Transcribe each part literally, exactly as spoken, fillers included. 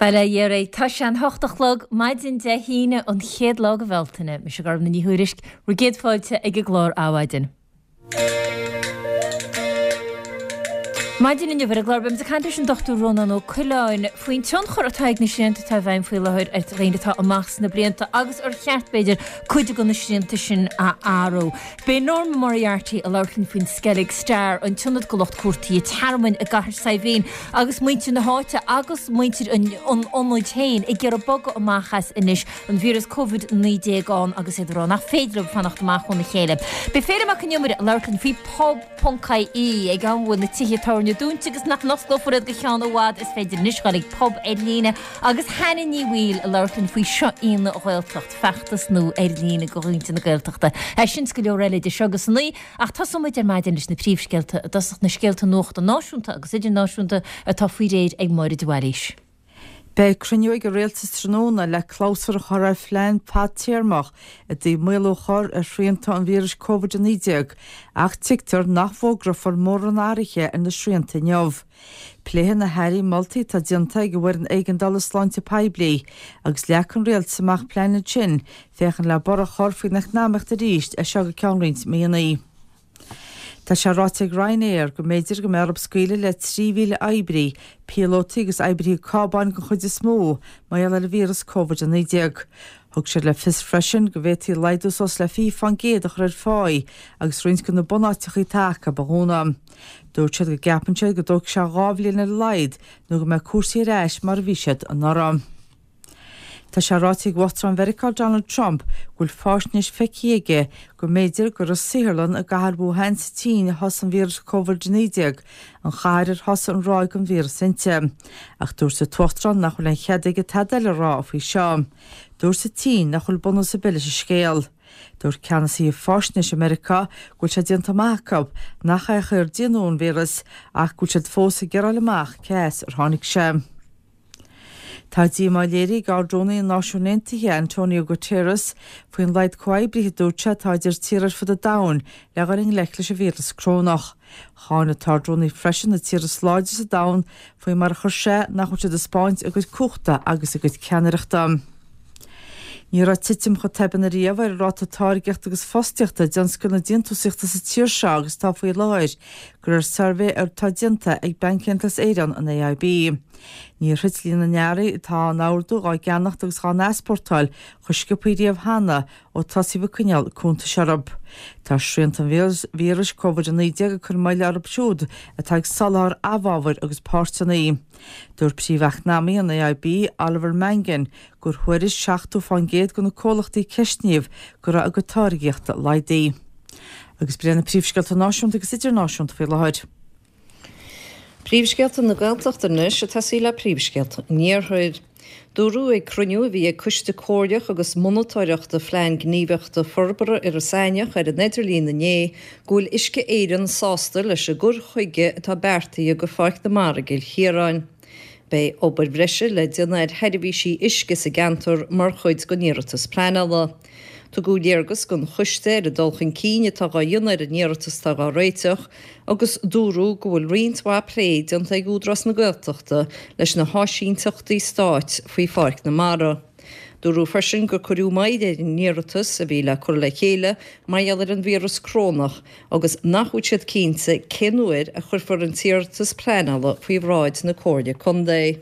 Bail ó Dhia oraibh. Tá sé an hocht a chlog, maidin Dé hAoine, an chéad lá de Bhealtaine. Mise Gormfhlaith Ní Thuairisg, bhur gcéad fáilte ag an gclár Adhmhaidin. Maidin inniu ar an gclár beimid ag caint leis an Dochtúir Rónán Ó Coileáin faoin tionchar atá ag na srianta atá i bhfeidhm faoi láthair ar dhaoine atá amach sna blianta agus ar cheart, b'fhéidir, cuid de na srianta sin a athrú. Beidh Norma Moriarty ag labhairt linn faoin Skellig Star, an t-ionad do lucht cuartaithe tearmainn i gCathair Saidhbhín agus muintir na háite agus muintir an ionaid féin ag iarraidh bogadh amach as anois, an víreas Covid naoi déag ann agus iad ag rá nach féidir leo fanacht amach óna chéile. Beidh Féilim Mac Con Iomaire ag labhairt linn faoi Pub. Ponc IE, ag am a bhfuil na tithe tábhairne dúnta agus nach n-osclófar iad go ceann i bhfad, is féidir anois dul ag pub ar líne agus Hannah Ní Bhaoill ag labhairt linn faoi Seo í an Ghaeltacht, feachtas nua ar líne do mhuintir na Gaeltachta. É sin 's go leor eile idir seo agus a naoi, ach tosóidh muid ar maidin leis na príomhscéalta, i dtosach na scéalta nuachta náisiúnta agus idirnáisiúnta atá faoi réir ag Máire de Bhailís. Beidh cruinniú ag an Rialtas tráthnóna le clabhsúr a chur ar phlean fadtéarmach i dtaobh maolú a chur ar shrianta an víris Covid a naoi déag ach tuigtear nach bhfógrófar mórán athruithe ar na srianta inniu. Pléifidh na hairí moltaí atá déanta ag an bhFoireann Éigeandála Sláinte Poiblí agus leagfaidh an Rialtas amach plean ansin féachaint le borradh a chur faoin eacnamaíocht arís as seo go ceann roinnt míonna. Tá sé ráite ag Ryanair go mb'fhéidir go mbeidh orthu scaoileadh le trí mhíle oibrí, píolótaí agus oibrithe cábáin den chuid is mó, mar gheall ar an víreas Covid a naoi déag. Thug siad le fios freisin go bhféadfaí laghdú suas le fiche fán gcéad a chur ar pháí agus roinnt de na bunáiteacha atá acu a dhúnadh. Dúirt siad go gceapann siad go dtógfaidh sé dhá bhliain ar a laghad nó go mbeidh cúrsaí ar ais mar a bhí siad anuraidh. Tá sé ráite ag Uachtarán Mheiriceá Donald Trump go bhfuil faisnéis feicthe aige go mb'fhéidir gur i saotharlann i gcathair Wuhan sa tSín a thosaigh an víreas Covid a naoi déag, an chathair ar thosaigh an ráig den víreas inti. Ach dúirt an tUachtarán nach bhfuil aon chead aige tada eile a rá faoi seo. Dúirt an tSín nach bhfuil bunús ar bith leis an scéal. Dúirt ceannasaithe faisnéise Meiriceá go bhfuil sé déanta amach acu nach é a D N A an víreas ach go bhfuil siad fós ag iarraidh a fháil amach cé as ar tháinig sé. Tá díomá léirithe ag Ard-Rúnaí na Náisiún Aontaithe, Antonio Guterres, faoin laghad comhoibrithe a dúirt sé atá idir tíortha ar fud an domhain le dhul i ngleic leis an víreas corónach. Cháin an tArd-Rúnaí freisin na tíortha is láidre sa domhan faoi mar a chuir sé nach bhfuil siad ag spáint a gcuid cumhachta agus a gcuid ceannaireachta. Ní raibh titim chomh tobann ariamh ar an ráta táirgeachta agus fostaíochta i dtionscal na déantúsaíochta sa tír seo agus atá faoi láthair, de réir suirbhé atá déanta ag Banc Aontas Éireann, an A I B. Níor thit líon na n-earraí atá á n-ordú, dhá gceannacht agus dhá n-easpórtáil chomh sciobtha riamh cheana ó tosaíodh ag coinneáil cuntais orthu. Tá srianta an víris Covid a naoi déag ag cur moille orthu siúd atá ag soláthar amhábhair agus páirteanna. Dúirt príomh-eacnamaí an A I B, Oliver Mangan, gur thuairisc seachtó fán gcéad de na comhlachtaí a ceistníodh go raibh a gcuid táirgíochta laghdaithe. Agus b'in iad na príomhscéalta náisiúnta agus idirnáisiúnta faoi láthair. Príomhscéalta na Gaeltachta anois ag tosaí le príomhscéalta an Iarthair. Dúradh ag cruinniú a bhí ag Coiste Comhairleach agus Monatóireachta Phlean Gníomhaíochta Forbartha Iorras Aithneach ar an idirlíon inné go bhfuil Uisce Éireann sásta leis an gcur chuige atá beartaithe do Pháirc na Mara i gCill Chiaráin. Beidh obair bhreise le déanamh ar sheirbhísí uisce sa gceantar mar chuid den iarratas pleanála. Tugadh léargas don choiste ar an dul chun cinn atá á dhéanamh ar an iarratas atá á réiteach agus dúradh go bhfuil roinnt mhaith plé déanta ag Údarás na Gaeltachta leis na háisínteachtaí stáit faoi Pháirc na Mara. Dúradh freisin gur cuireadh moill ar an iarratas a bhí le cur le chéile mar gheall ar an víreas corónach agus nach bhfuil siad cinnte cén uair a chuirfear an t-iarratas pleanála faoi bhráid na Comhairle Contae.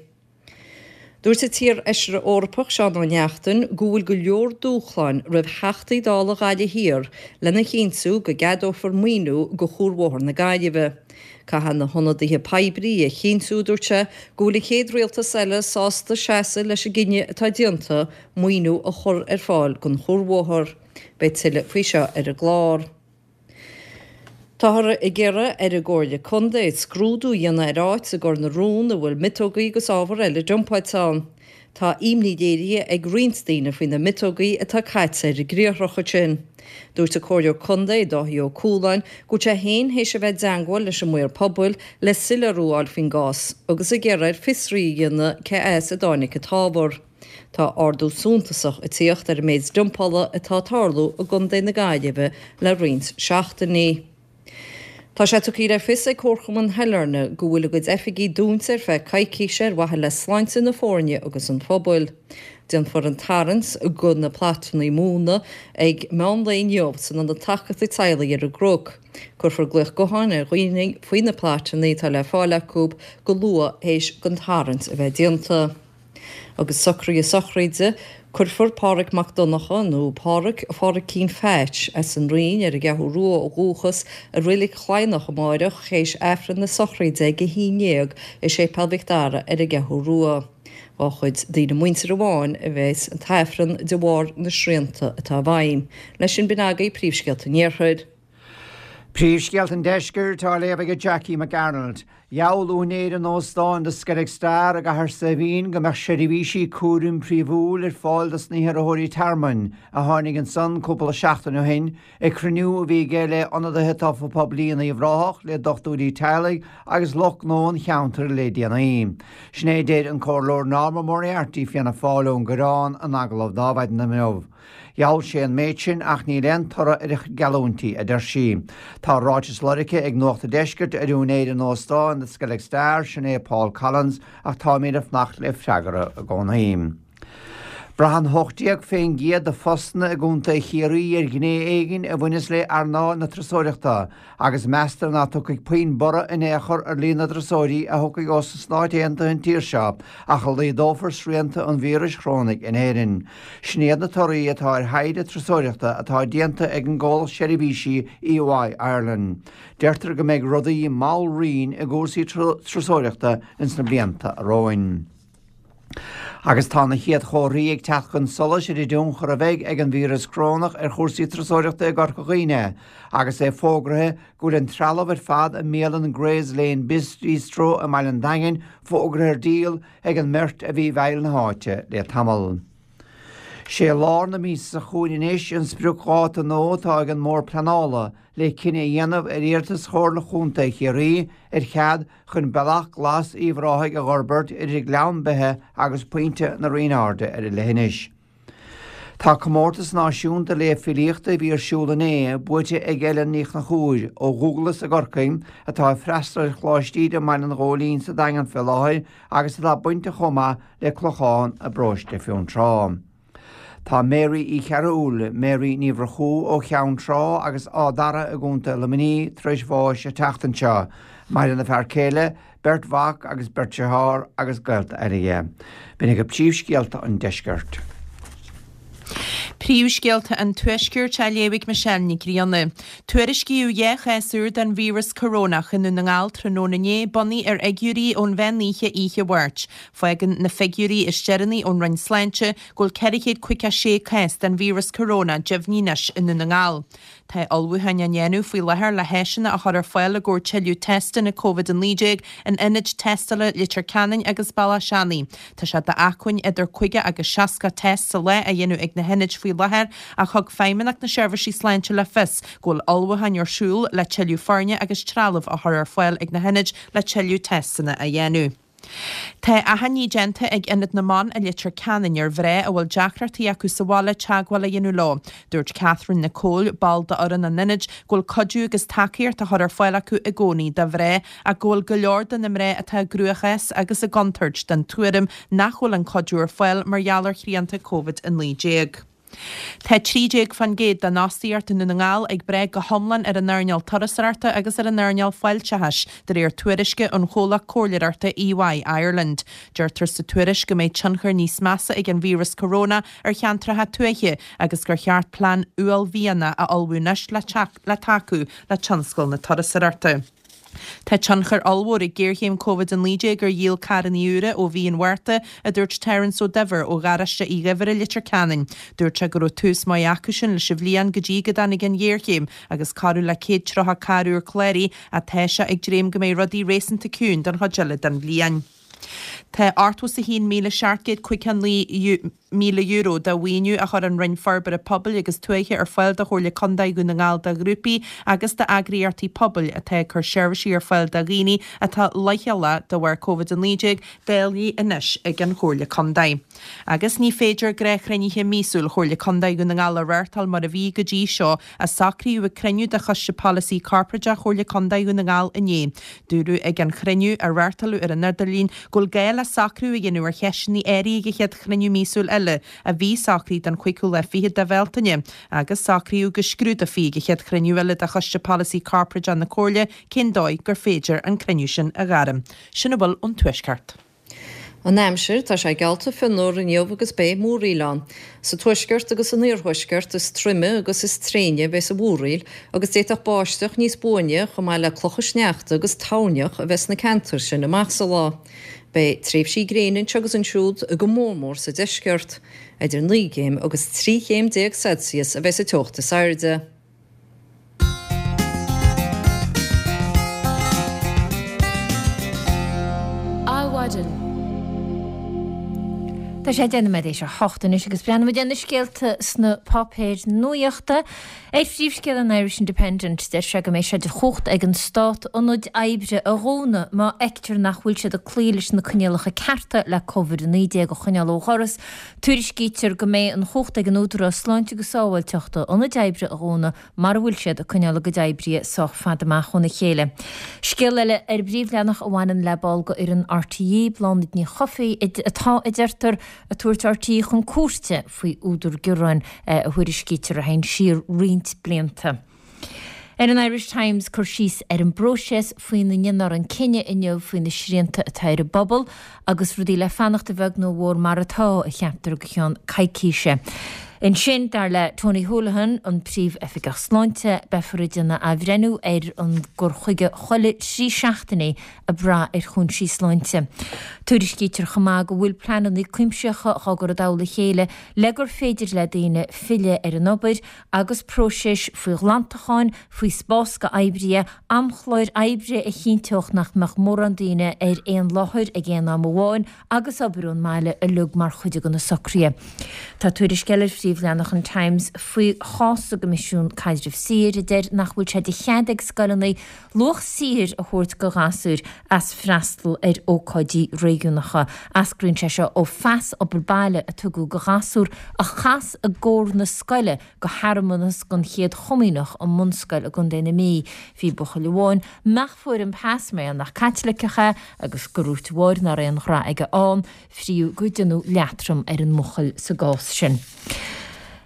Dúirt an t-iar-fheisire Eorpach Seán Ó Neachtain go bhfuil go leor dúshláin roimh Theachtaí Dála Ghaillimh Thiar lena chinntiú go gceadófar maoiniú do Chuarbhóthar na Gaillimhe. Caithfidh na hionadaithe poiblí a chinntiú, dúirt sé, go bhfuil an chéad rialtas eile sásta seasamh leis an gcinneadh atá déanta maoiniú a chur ar fáil don chuarbhóthar. Beidh tuilleadh faoi seo ar an gclár. Táthar ag iarraidh ar an gComhairle Contae scrúdú a dhéanamh ar áit i gCor na Rón a bhfuil miotógaí agus ábhar eile dumpáilte ann. Tá imní léirithe ag roinnt daoine faoi na miotógaí atá caite ar an gcriathrach ansin. Dúirt an Comhairleoir Contae, Dáithí Ó Cualáin, go bhfuil sé féin théis a bheith i dteangmháil leis an maor pobail le soiléiriú a fháil faoin gcás agus ag iarraidh air fiosraí a dhéanamh cé as a dtáinig an t-ábhar. Tá ardú suntasach ag tíocht ar an méid dumpála atá ag tarlú i gContae na Gaillimhe le roinnt seachtainí. Tá sé tugtha le fios ag Comharchumann Shailearna go bhfuil a gcuid oifigí dúnta ar feadh coicíse ar mhaithe le sláinte na foirne agus an phobail. Déanfar an tarraingt do na plaitanna móna ag meán lae inniu san Ionad Tacaíochta Teaghlaigh ar an gCnoc. Cuirfear glaoch gutháin ar dhaoine faoi na plaitanna atá le fáil acu go luath théis don tarraingt a bheith déanta. Agus socruithe sochraide, cuirfear Páraic Mac Donncha nó Páraic Phádraicín Pheaits as an Rinn ar an gCeathrú Rua ó dhúchas i Reilig Chladhnach amáireach théis Aifreann na sochraide ag a haon déag i Séipéal Mhic Dara ar an gCeathrú Rua. Dhá chuid daoine muinteartha amháin a bheas an tAifreann de bharr na srianta atá i bhfeidhm. Leis sin b'in agaibh príomhscéalta an Iarthair. Príomhscéalta an Deiscirt á léamh ag Jackie McArnold. Gheall úinéir an óstáin The Skellig Star i gCathair Saidhbhín go mbeadh seirbhísí cúraim príomhúil ar fáil dos na hiarrthóirí tearmainn a tháinig ansan cúpla seachtain ó shin ag cruinniú a bhí aige le ionadaithe tofa poiblí in Uíbh Ráthach, le dochtúirí teaghlaigh agus lucht gnó an cheantair le déanaí. Sin é a deir an Comhairleoir Norma Moriarty, Fianna Fáil ón gCoireán in agallamh d'Adhmhaidin inniu. Gheall sé an méid sin ach níl aon toradh ar a chuid geallúintí, a deir sí. Tá ráiteas lorgtha ag Nuacht an Deiscirt ar úinéir an óstáin The Skellig Star, sin é Paul Collins, ach táimid ag fanacht le freagra i gcónaí. Braitheann hocht déag fén gcéad de phostanna i gContae Chiarraí ar ghné éigin a bhaineas le earnáil na turasóireachta agus meastar ná tiocfaidh puinn borradh in aon chor ar líon na dturasóirí a thiocfaidh ós na Stáit Aontaithe an tír seo ach a laghdófar srianta an víris chorónaigh in Éirinn. Sin iad na torthaí atá ar thaighde turasóireachta atá déanta ag an gcomhlacht seirbhísí EY Ireland. Deirtear go mbeidh rudaí mall righin i gcúrsaí turasóireachta ins na blianta romhainn. Agus tá na chéad chomharthaí ag teacht chun solais ar an dtionchar a bheidh ag an víreas corónach ar chúrsaí turasóireachta i gCorca Dhuibhne, agus é fógraithe go bhfuil an trealamh ar fad i mbialann Gray's Lane Bistro i mBaile an Daingin fógraithe ar díol ag an mbeirt a bhí i bhfeighil na háite le tamall. Sé lár na míosa seo chugainn anois an spriocdháta nua atá ag an mBord Pleanála le cinneadh a dhéanamh ar iarratas Chomhairle Chontae Chiarraí ar chead chun Bealach Glas Uíbh Ráthaigh a dh'fhorbairt idir Gleann Beithe agus Pointe na Rinne Airde ar an leithinis. Tá comórtas náisiúnta léamh filíochta a bhí ar siúl inné buaite ag Ellen Ní Chonchúir ó Dhúglas i gCorcaigh atá ag freastal ar Choláiste Íde i mBaile an Ghóilín sa Daingean fé láthair agus atá bainteach chomh maith le Clochán i bparóiste Fionntrá. Tá Mary Uí Chearúil, Mary Ní Mhurchú ó Cheann Trá agus Áth Dara i gContae Luimnigh tar éis bháis an tseachtain seo. Maireann a fear céile, beirt mhac agus beirt dearthár agus gaolta eile aici. B'in agaibh príomhscéalta an deiscirt. Príomhscéalta an Tuaiscirt á léamh ag Michelle Nic Grianna. Tuairiscíodh dhá chás úr den víreas corónach i nDún na nGall tráthnóna inné, bunaithe ar fhigiúirí ón mheán oíche oíche Mháirt. Fágann na figiúirí is deireanaí ón Roinn Sláinte go bhfuil ceithre chéad caoga sé cás den víreas coróna deimhnithe anois i nDún na nGall. Tá ullmhúcháin á ndéanamh faoi láthair le háiseanna a chur ar fáil i gcomhair tuilleadh teisteanna Covid a naoi déag in ionaid tástála Leitir Ceanainn agus Bealach Seanaidh. Tá sé d'acmhainn idir caoga agus seasca test sa lá a dhéanamh ag na hionaid faoi láthair ach thug Feidhmeannacht na Seirbhísí Sláinte le fios go bhfuil ullmhúcháin ar siúl le tuilleadh foirne agus trealamh a chur ar fáil ag na hionaid le tuilleadh teisteanna a dhéanamh. Tá achainí déanta ag Ionad na mBan i Leitir Ceanainn ar mhná a bhfuil deacrachtaí acu sa bhaile teagmháil a dhéanamh leo. Dúirt Catherine Nicole, ball d'fhoireann an ionaid, go bhfuil cuidiú agus tacaíocht á chur ar fáil acu i gcónaí do mhná ach go bhfuil go leor de na mná atá i gcruachás agus i gcontúirt den tuairim nach bhfuil an cuidiú ar fáil mar gheall ar shrianta Covid a naoi déag. Tá trí déag fán gcéad den fhostaíocht i nDún na nGall ag brath go hiomlán ar an earnáil turasóireachta agus ar an earnáil fáilteachais, de réir tuairisce ón chomhlacht comhairleoireachta EY Ireland. Deirtear sa tuairisc go mbeidh tionchar níos measa ag an víreas coróna ar cheantracha tuaithe agus gur cheart plean uaillmhianach a ullmhú anois le tacú le tionscal na turasóireachta. Tá tionchar ollmhór ag géarchéim Covid a naoi déag ar dhíol carranna úra ó mhí an Mhárta, a dúirt Terence Ó Duibhir ó gharáiste Uí Dhuibhir i Leitir Ceanainn. Dúirt sé go raibh tús maith acusan leis an bhliain go dtí go dtáinig an ghéarchéim agus corradh le céad tríocha carr úr cláraithe ach tá sé ag dréim go mbeidh rudaí réasúnta ciúin don chuid eile den bhliain. Tá ochtó is a haon míle seacht gcéad caoga naoi míle euro de mhaoiniú a chuir an Roinn Forbartha Pobail agus Tuaithe ar fáil do Chomhairle Contae Dhún na nGall do ghrúpaí agus d'eagraíochtaí pobail atá ag cur seirbhísí ar fáil do dhaoine atá leochaileach de bharr Covid a naoi déag dáilte anois ag an Chomhairle Contae. Agus ní féidir gnáthchruinnithe míosúil Chomhairle Contae Dhún na nGall a reáchtáil mar a bhí go dtí seo, a socraíodh ag cruinniú de Choiste Polasaí Corparáideach Chomhairle Contae Dhún na nGall inné. Dúradh ag an chruinniú, a reáchtáladh ar an idirlíon, go bhfuil gá le socrú a dhéanamh ar cheisteanna áirithe ag an chéad chruinniú míosúil eile, a bhí socraithe don chúigiú lá fichead de Bhealtaine, agus socraíodh go scrúdófaí ag an chéad chruinniú eile de Choiste Polasaí Corparáideach na Comhairle cén dóigh gur féidir an cruinniú sin a ghairm. Sin a bhfuil ón Tuaisceart. An aimsir, tá sé geallta fionnuar inniu agus beidh múraíl ann. Sa tuaisceart agus san iarthuaisceart is troime agus is tréine a bheas an mhúraíl agus d'fhéadfadh báisteach níos buaine chomh maith le clocha sneachta agus toirneach a bheith sna ceantair sin amach sa lá. Beidh tréimhsí gréine anseo agus ansiúd, go mór mór sa deisceart. Idir naoi gcéim agus trí chéim déag Celsius a bheas an teocht is airde. Adhmhaidin. Tá sé deich nóiméad théis a hocht anois agus breathnóimid ar na scéalta sna páipéir nuachta. Ar phríomhscéal an Irish Independent, deir sé go mbeidh sé de chumhacht ag an Stát ionaid oibre a dhúnadh má fheictear nach bhfuil siad ag cloí leis na coinníollacha cearta le Covid a naoi déag a choinneáil ó dhoras. Tuairiscítear go mbeidh an chumhacht ag an Údarás Sláinte agus Sábháilteachta ionaid oibre a dhúnadh mara bhfuil siad ag coinneáil a gcuid oibrithe sách fada amach óna chéile. Scéal eile ar an bpríomhleathanach a bhaineann le ball d'fhoireann RTÉ, Bláthnaid Ní Chofaigh, atá, a deirtear, ag tabhairt RTÉ chun cúirte faoi údar gearáin a thuairiscítear a théann siar roinnt blianta. Ar an Irish Times, cur síos ar an bpróiseas faoina ndéanfar an cinneadh inniu faoi na srianta atá ar an bpobal agus rudaí le fanacht a bheag nó a mhór mar atá, a cheaptar, go ceann coicíse. Ansin, dar le Tony Holohan, an Príomh-Oifigeach Sláinte, beifear ag déanamh athbhreithniú ar an gcur chuige chuile thrí seachtainí ag brath ar chúinsí sláinte. Tuairiscítear chomh maith go bhfuil pleananna cuimsitheacha á gcur i dtoll a chéile le gur féidir le daoine filleadh ar an obair agus próisis faoi ghlantacháin, faoi spás d'oibrithe, amchláir oibre a chinnteodh nach mbeadh mórán daoine ar aon láthair ag aon am amháin agus obair ón mbaile uilig mar chuid de na socruithe. Tá tuairisc eile ar phríomhleathanach an Times faoi chás sa gCoimisiún Caidrimh Saothair a deir nach bhfuil sé de chead ag scoileanna luach saothair a thabhairt do ghasúir as freastal ar ócáidí réigiúnacha. Eascraíonn sé seo ó phas obair baile a tugadh do ghasúr a chas i gcór na scoile go shearmanas don Chéad Chomaoineach i mbunscoil i gContae na Mí. Bhí buachaill amháin nach bhfuair an pas mar nach Caitliceach é agus gur dhúirt a mháthair nach raibh aon ghra aige ann, fríodh gur déanadh leatrom ar an mbuachaill sa gcás sin.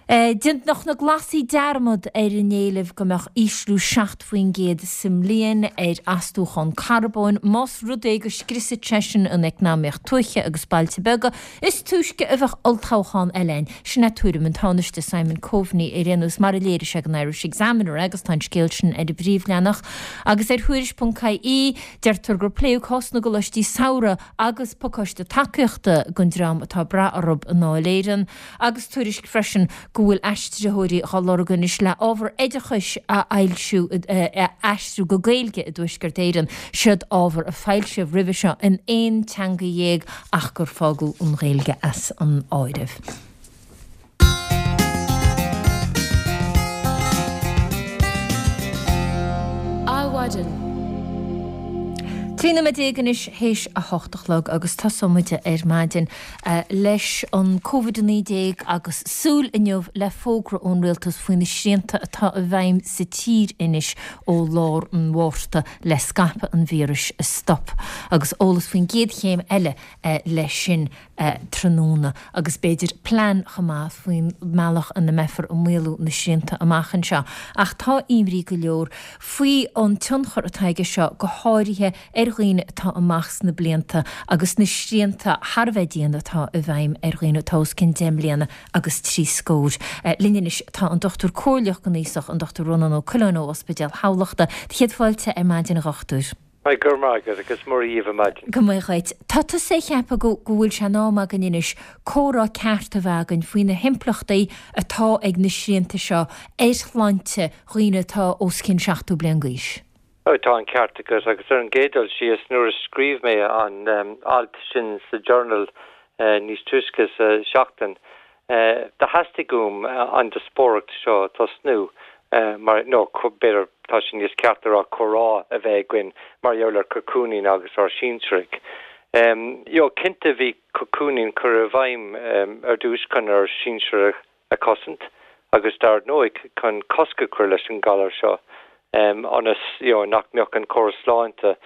Déanfaidh na Glasaigh dearmad ar a n-éileamh go mbeadh ísliú seacht faoin gcéad sa mbliain ar astúchán carbóin más rud é go scriosfadh sé sin an eacnamaíocht tuaithe agus bailte beaga. Is túisce a bheadh olltoghchán eile ann. Sin é tuairim an Tánaiste Simon Coveney ar aon nós, mar a léirigh sé don Irish Examiner agus tá an scéal sin ar an bpríomhleathanach. Agus ar Thuairisc ponc ie, deirtear gur pléadh cás na gcoláistí samhraidh agus pacáiste tacaíochta don dream atá ag brath orthu i nDáil Éireann agus tuairisc freisin go bhfuil aistritheoirí á lorg anois le ábhar oideachais a fhoilsiú, a aistriú go Gaeilge i dTuaisceart Éireann. Siod ábhar a foilsíodh roimhe seo in aon teanga dhéag ach gur fágadh an Ghaeilge as an áireamh. Adhmhaidin. Trí nóiméad déag anois théis a hocht a chlog agus tosóidh muid ar maidin leis an Covid a naoi déag agus súil inniu le fógra ón Rialtas faoi na srianta atá i bhfeidhm sa tír anois ó lár an Mhárta le scaipeadh an víris a stop agus eolas faoin gcéad chéim eile leis sin tráthnóna agus b'fhéidir plean chomh maith faoin mbealach ina mbeifear ag maolú na srianta amach anseo. Ach tá imní go leor faoi an tionchar atá aige seo go háirithe ar dhaoine atá amach sna blianta agus na srianta thar a bheith dian atá i bhfeidhm ar dhaoine atá os cionn deich mbliana agus trí scór. Linn anois tá an Dochtúir Comhairleach don Aosach, an Dochtúir Rónán Ó Coileáin ó Ospidéal Thamhlachta. Céad fáilte ar maidin a Dhochtúir. Go raibh maith agat agus Muire dhíbh ar maidin. Go maith dhuit. Tá tusa ag ceapadh go go bhfuil sé in am againn anois comhrá ceart a bheith againn faoi na himpleachtaí atá ag na srianta seo ar shláinte dhaoine atá os cionn seachtó bliain d'aois. Oh, tá an ceart agat agus ar an gcéad dul síos nuair a scríobh mé an um, alt sin sa Journal uh, níos túisce sa seachtain. Uh, do theastaigh uaim uh, an díospóireacht seo tosnú uh, mar nó b'fhéidir tá sin níos ceart a comhrá a bheith againn mar gheall ar cocooning agus ár sinsearaigh. Um, jo cinnte bhí cocooning curtha i bhfeidhm um, ar dtús chun ár sinsearaigh a chosaint agus dar ndóigh chun cosc a chur leis an galar seo. um, ionas you know, nach mbeadh an córas sláinte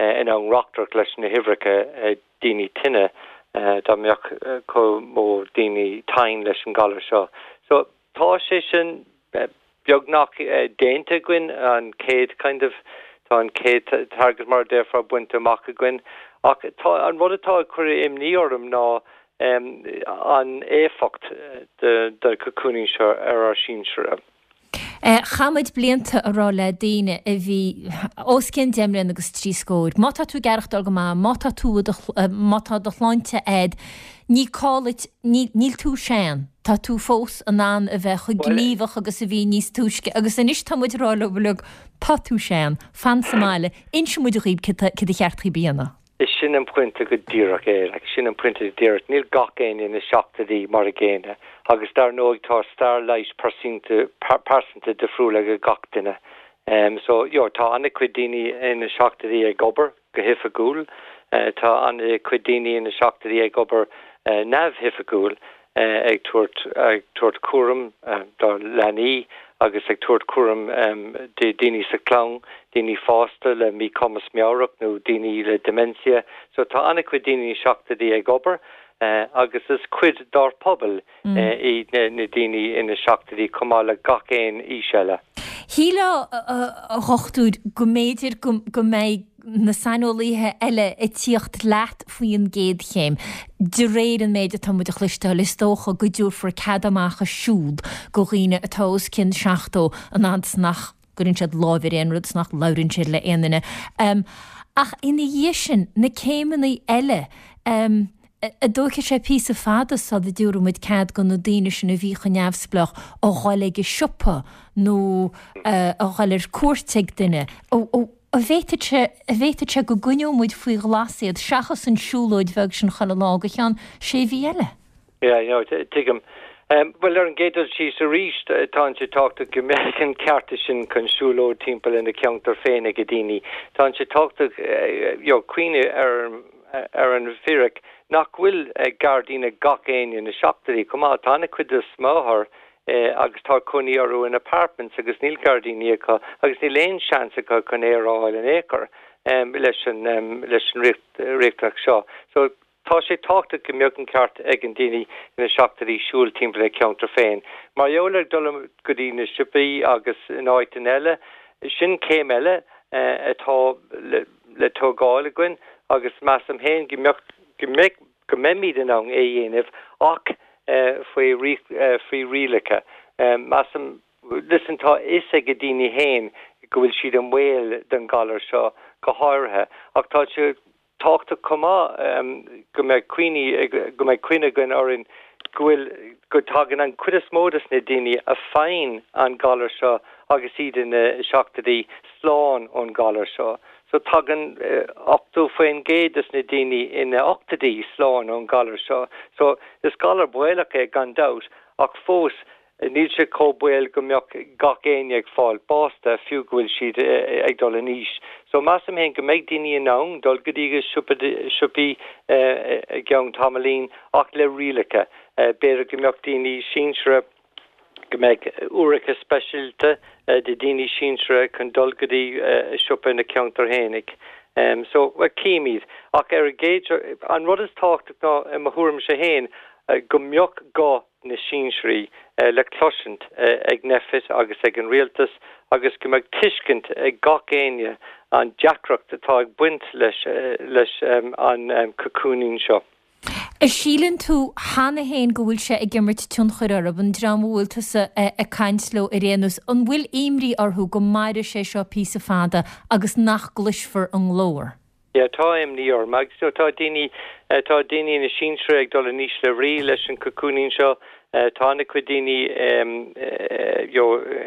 uh, in ann reachtair leis na huimhreacha uh, daoine tinne uh, dá mbeadh uh, chomh mór daoine tinn leis an galar seo. So tá sé sin uh, beagnach uh, déanta againn an céad kind of tá an céad target mar déarfá bainte amach againn ach tá an rud atá ag cur imní orm ná um, an éifeacht de, de cocooning seo ar ár sinsearaigh. Chaith muid blianta a rá le daoine a bhí os cionn deich mbliana agus trí scór. Má tá tú ag aireachtáil go maith, má tá tú má tá do shláinte agat, ní cáit níl tú sean. Tá tú fós in ann a bheith chomh gníomhach agus a bhí níos túisce agus anois tá muid ag rá leo uilig tá tú sean, fan sa mbaile, inseoidh muid daoibh cad ba cheart daoibh a dhéanamh. Is sin an pointe go díreach é, like, sin an pointe go díreach níl gach éinne ina seachtóidí mar a gcéanna agus dar ndóigh tá stair leighis pearsanta pearsanta difriúil ag gach duine. Um, so jo tá an-chuid daoine ina seachtóidí ag obair go hoifigiúil, uh, tá an-chuid daoine ina seachtóidí ag obair uh, neamhoifigiúil uh, ag tabhairt ag tabhairt cúram uh, dá leanaí agus ag tabhairt cúram um, de daoine sa chlann, daoine fásta le míchumas meabhrach nó daoine le dementia, so tá an-chuid daoine seachtóidí ag obair uh, agus is cuid dár pobal mm. uh, í na, na daoine ina seachtóidí chomh maith le gach aon aois eile. Shílfeá a dhochtúir go mb'fhéidir go go mbeidh na saineolaithe eile ag tíocht leat faoi an gcéad chéim. De réir an méid atá muid a chloisteáil is dócha go dtabharfar cead amach siúd do dhaoine atá os cionn seachtó an fhad is nach gcuireann siad lámh ar aon rud is nach labhraíonn siad le aon duine. Um, ach ina dhiaidh sin na céimeanna eile um, an dtógfaidh sé píosa fada sula dtabharfaidh muid cead do na daoine sin a bhí chomh neamhspleách a dhul ag an siopa nó uh, a dhul ar cuairt ag duine. An bhféadfadh sé an bhféadfadh sé go gcoinneoidh muid faoi ghlas iad seachas an siúlóid bheag sin chuile lá go ceann sé mhí eile. Yeah, you know, tuigim. Um, well ar an gcéad dul síos arís tá sé tábhachtach go mbeadh an ceart sin chun siúlóid timpeall ina ceantar féin ag daoine. Tá sé tábhachtach uh, you cuimhneamh ar ar an bhfíric nach bhfuil uh, gairdín ag gach éinne ina seachtóidí chomh maith tá an-chuid de smáthair eh, agus tá cónaí orthu in apartments agus níl gairdíní acu agus níl aon seans acu chun aer a fháil in aon chor um, leis an um, leis an riachtanach seo. So tá sé tábhachtach go mbeadh an ceart ag an daoine ina seachtóidí siúl timpeall le ceantar féin. Mar gheall ar dul go dtí na siopaí agus in áiteanna eile, sin céim eile uh, atá le, le tógáil againn agus measaim féin go mbeadh go mbeidh go mbeimid in ann é a dhéanamh ach uh, faoi uh, faoi rialacha. Um, measaim listen tá a fhios ag daoine féin go bhfuil siad i mbaol den galar seo go háirithe ach tá sé tábhachtach chomh maith um, go mbeidh cuimhne go mbeidh cuimhne againn orainn go bhfuil go dtagann an chuid is mó de na daoine a fhaigheann an galar seo agus iad ina seachtóidí slán ón galar seo. So tagann ochtó faoin gcéad de na daoine ina ochtóidí slán ón galar seo. So is galar baolach é gan dabht ach fós níl sé chomh baolach go mbeadh gach éinne ag fáil bás de fiú go bhfuil siad ag dul in aois. So measaim féin go mbeidh daoine in ann dul go dtí siopaí i gceann tamaillín ach le rialacha. B'fhéidir go mbeadh daoine sinsearacha go mbeidh uaireanta speisialta de daoine sinsearacha chun dul go dtí siopa na ceantar féinig. Um, so well, címid ach ar géidir an rud is tábhachtach ná i mo thuairimse féin go mbeadh guth na sinsearaí uh, le cloisint uh, ag NPHET agus ag an rialtas agus go mbeadh tuiscint ag gach éinne an deacracht atá ag baint leis uh, leis um, an um, cocooning seo. An síleann tú cheana féin go bhfuil sé ag imirt tionchar orthu an dream a bhfuil tusa ag caint leo ar aon nós an bhfuil imní orthu go mairfidh sé seo píosa fada agus nach gcloisfear a nglór. Ja tá imní orm agus so tá daoine tá daoine ina sinsearaigh ag dul in ísle brí leis an cocooning seo tá an-chuid daoine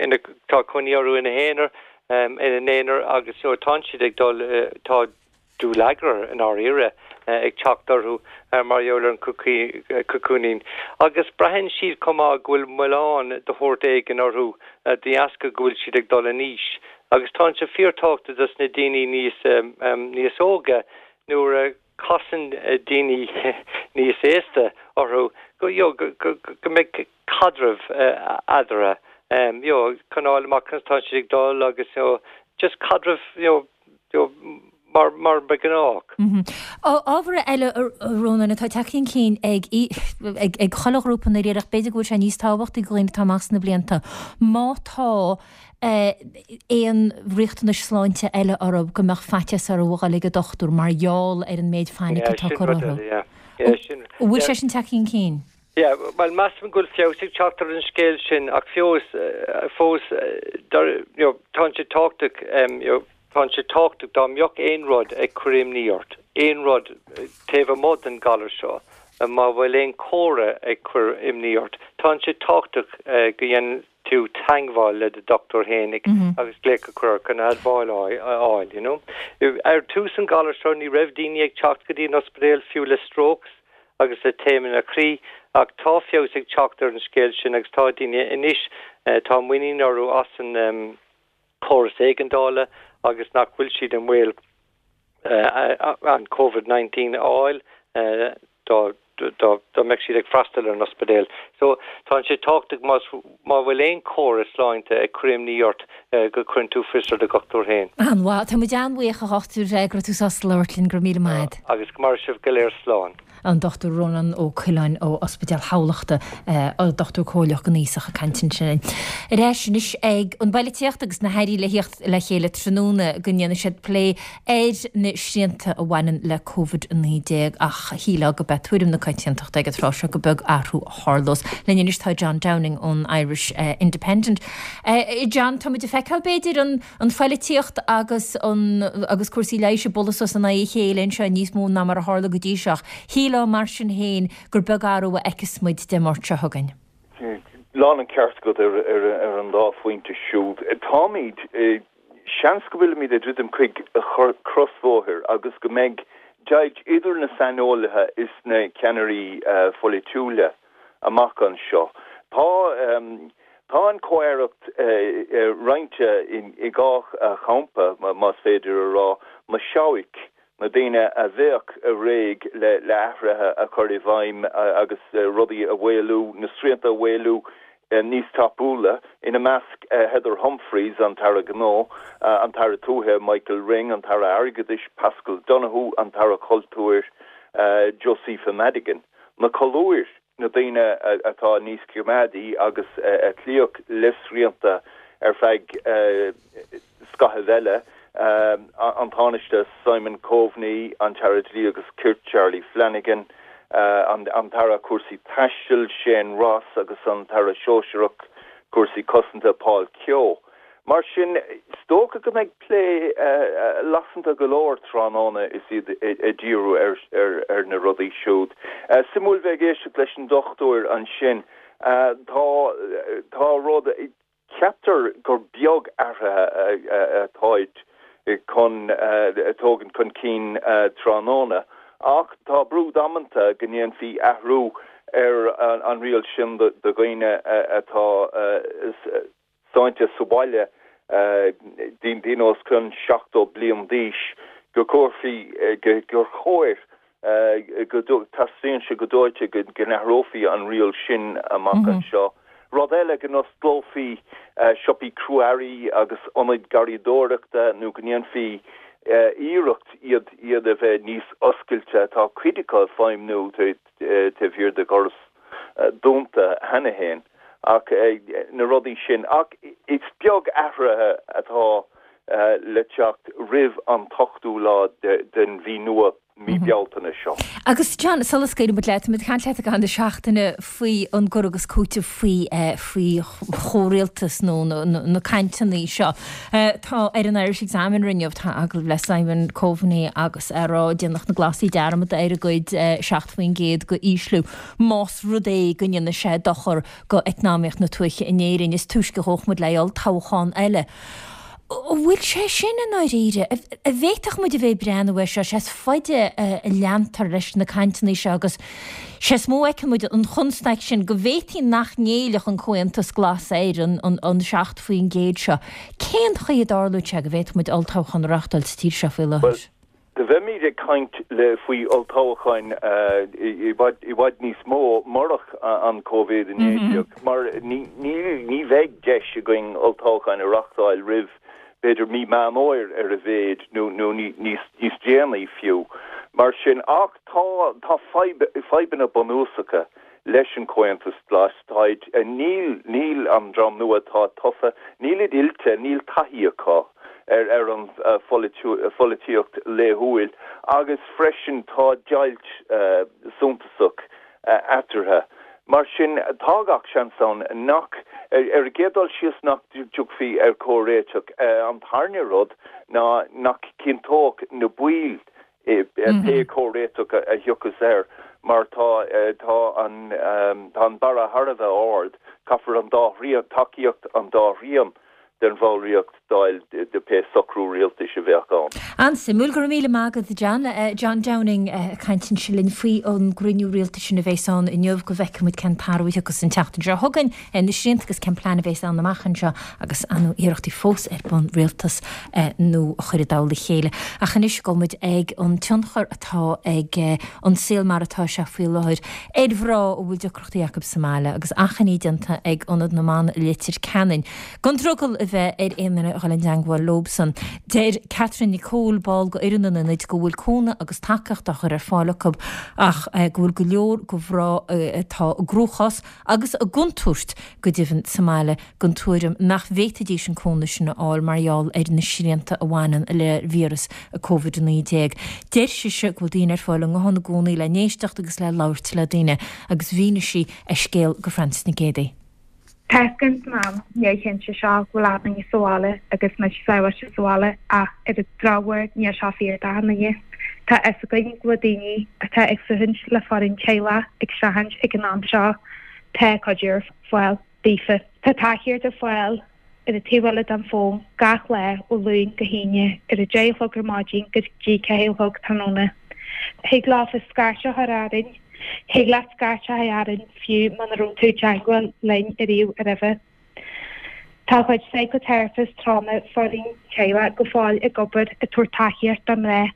ina tá cónaí orthu ina n-aonar ina n-aonar agus you know tánn siad ag dul tá dúlagar i ndáiríre ag teacht orthu mar gheall ar an cocooning agus braitheann siad chomh maith go bhfuil milleán de shórt éigin orthu de dheasca go bhfuil siad ag dul in aois agus tá sé fíorthábhachtach dos na daoine níos níos óige nuair a chasann daoine níos aosta orthu go you know go go mbeidh caidreamh eadarthu you know chun fháil amach conas tá siad ag dul agus you know just caidreamh you know you know mar mar ba ghnách. Ábhar eile a Rónáin atá tagtha chun cinn ag ag ag chuile ghrúpa na ach b'fhéidir go bhfuil sé níos tábhachtaí do dhaoine atá amach sna blianta. Má tá aon riachtanais sláinte eile orthu go mbeadh faitíos orthu a dhul ag an dochtúir mar gheall ar an méid fainic atá curtha orthu. An bhfuil sé sin tagtha chun cinn? Yeah, well measaim go bhfuil feabhas ag teacht ar an scéal sin ach feabhas fós you know, tá sé tábhachtach um, you know, tá sé tábhachtach dá mbeadh aon rud ag cur imní ort, aon rud taobh amuigh den galar seo, má bhfuil aon chomhartha ag cur imní ort. Tá sé tábhachtach uh, go dhéanann tú teagmháil le do dochtúir fhéinig mm -hmm. agus glaoch a chur chun admháil a fháil, you know. Ar tús an galar seo ní raibh daoine ag teacht go dtí an ospidéal fiú le strokes agus le taomanna croí ach tá feabhas ag teacht ar an scéal sin agus tá daoine anois tá muinín orthu as an um, córas éigeandála agus nach bhfuil siad i mbaol uh, an COVID nineteen a fháil uh, dá dá mbeadh siad ag freastal ar an ospidéal. So tá sé tábhachtach más má bhfuil aon chomhartha sláinte ag cur imní ort go gcuireann tú fios ar do dhochtúir féin. An-mhaith, tá muid an-bhuíoch a dhochtúir go raibh tú sásta labhairt linn, go raibh míle maith. Agus go maire sibh go léir slán. An Dochtúir Rónán Ó Coileáin ó Ospidéal Thamhlachta, an dochtúir comhairleach don aosach ag caint ansin. Ar ais anois ag an bpolaitíocht agus na hairí le theacht le chéile tráthnóna go ndéanfaidh siad plé ar na srianta a bhaineann le Covid a naoi déag ach shílfeá go b'é tuairim na coitiantachta ag an tráth seo gur beag athrú a tharlós. Linn anois tá John Downing ón Irish Independent. John, tá muid ag feiceáil b'fhéidir an an pholaitíocht agus an agus cúrsaí leighis ag bualadh suas in aghaidh a chéile anseo níos mó ná mar a tharla go dtí seo. Shílfeá mar sin féin gur beag athrú a fheicfeas muid Dé Máirt seo chugainn. Lán an ceart agat ar ar ar an dá phointe siúd. Táimid, seans go bhfuilimid ag druidim chuig crosbhóthar agus go mbeidh deighilt idir na saineolaithe is na ceannairí pholaitiúla amach anseo. Tá tá an chomh-aireacht roinnte i dhá champa, más féidir a rá, na seabhaic, na daoine a bheadh réidh le le athruithe a chur i bhfeidhm agus rudaí a mhaolú, na srianta a mhaolú níos tapúla, ina measc Heather Humphreys, an tAire Gnó, an tAire Tuaithe Michael Ring, an tAire Airgeadais Paschal Donohoe, an tAire Cultúir Josepha Madigan. Na colúir, na daoine atá níos coimeádaí agus a chloífeadh le srianta ar feadh scaitheamh eile, an Tánaiste Simon Coveney, an tAire Dlí agus Cirt Charlie Flanagan, an tAire Cúrsaí Taistil Shane Ross agus an tAire Sóisearach Cúrsaí Cosanta Paul Kehoe. Mar sin, is dócha go mbeidh plé lasanta go leor tráthnóna is iad ag díriú ar na rudaí siúd. Suimiúil bheith ag éisteacht leis an dochtúir ansin. Tá tá rud, ceaptar gur beag athruithe atáid chun tógaint chun cinn tráthnóna ach tá brú damanta go ndéanfaí athrú ar an riail sin do dhaoine atá sáinnithe sa bhaile, daoine os cionn seachtó bliain d'aois, go gcuirfí, gur chóir, go dteastaíonn sé go dóite go n-athrófaí an riail sin amach anseo. Rud eile, go n-osclófaí siopaí crua-earraí agus ionaid garraíodóireachta nó go ndéanfaí iarracht iad iad a bheith níos oscailte, tá cuid acu ag feidhmniú taobh thiar de dhoras dúnta cheana féin, ach na rudaí sin. Ach is beag athruithe atá le teacht roimh an t-ochtú lá den mhí nua, mí Bealtaine seo. Agus John, sula scaoileann muid leat, tá muid ag caint leat i gcaitheamh na seachtaine faoi an gcur agus cúiteamh faoi faoi chomhrialtas nó na cainteanna seo. Tá ar an Irish Examiner inniu, tá agallamh le Simon Coveney agus é ag rá déanfaidh na Glasaigh dearmad ar a gcuid seacht faoin gcéad go ísliú más rud é go ndéanfaidh sé dochar go eacnamaíocht na tuaithe in Éirinn. Is túisce a ghabhfadh muid le olltoghchán eile. An bhfuil sé sin i ndáiríre? An bhféadfadh muid a bheith ag breathnú air seo, sé is faide a leantar leis na cainteanna seo agus sé is mó a fheiceann muid an chonstaic sin go bhféadfaí nach ngéillfeadh an Comhaontas Glas ar an seacht faoin gcéad seo. Cén chaoi a dtarlódh sé go bhféadfadh muid olltoghchán a reáchtáil sa tír seo faoi láthair? Do bheimid ag caint le faoi olltoghcháin i bhfad i bhfad níos mó murach an Covid a naoi déag mar ní ní ní bheidh deis againn olltoghcháin a reáchtáil roimh b'fhéidir mí Meán Fhómhair ar a mhéad nó nó níos níos déanaí fiú. Mar sin ach tá tá fadhb fadhbanna bunúsacha leis an Chomhaontas Glas. Táid níl níl an dream nua atá tofa, nílid oilte, níl taithí acu ar ar an pholaitíocht laethúil agus freisin tá deighilt suntasach eatarthu. Mar sin tá gach seans ann nach ar an gcéad dul síos nach dtiocfaí ar chomhréiteach. An tarna rud ná nach gcinnteodh na baill pé comhréiteach a thiocfas air mar tá tá an tá an barra thar a bheith ard, caithfear an dá thrian, tacaíocht an dá thrian den bhallraíocht d'fháil de pé socrú rialtais a bheadh ann. An-suimiúil. Go raibh míle maith agat, John. John Downing ag caint ansin linn faoi an gcruinniú rialtais sin a bheas ann inniu. Go bhfeicfidh muid cén t-athrú a thiocfas an tseachtain seo chugainn ar na srianta agus cén plean a bheas ann amach anseo agus an iarrachtaí fós ar bun rialtas nua a chur i dtoll a chéile. Ach anois gabhfaidh muid ag an tionchar atá ag an saol mar atá sé faoi láthair ar mhná a bhfuil deacrachtaí acu sa mbaile agus achainí déanta ag Ionad na mBan i Leitir Ceanainn gan drogall a bheith ar aon duine a dhul i dteangmháil leobsan. Deir Catherine Nicole, ball de fhoireann an ionaid, go bhfuil cúnamh agus tacaíocht á chur ar fáil acu ach go bhfuil go leor de mhná atá i gcruachás agus i gcontúirt go deimhin sa mbaile den tuairim nach bhféadfaidís an cúnamh sin a fháil mar gheall ar na srianta a bhaineann le víreas Covid a naoi déag. Deir sise go bhfuil daoine ar fáil i nguthán i gcónaí le n-éisteacht agus le labhairt le daoine agus mhínigh sí a scéal do Frances Nic Géadaigh. Tá a fhios againn san am neamhchinnte seo go bhfuil achan duine sa bhaile agus muid sábháilte sa bhaile ach ar an drochuair níl seo fíor d'achan duine. Tá a fhios againn go bhfuil daoine atá ag fuathaint le foireann teaghlach ag streachailt ag an am seo. Tá cuidiú ar fáil daofa. Tá tacaíocht ar fáil ar an taobh eile den fón gach lá ó Luan go hAoine ar a deich a chlog ar maidin go dtí ceathair a chlog tráthnóna. Thig leofa scairt a chur orainn. Thig leat scairt a chur orainn fiú muna raibh tú i dteagmháil linn ariamh roimhe. Tá ár gcuid psychotherapist trauma foireann teaghlach go fóill ag obair ag tabhairt tacaíocht do mná.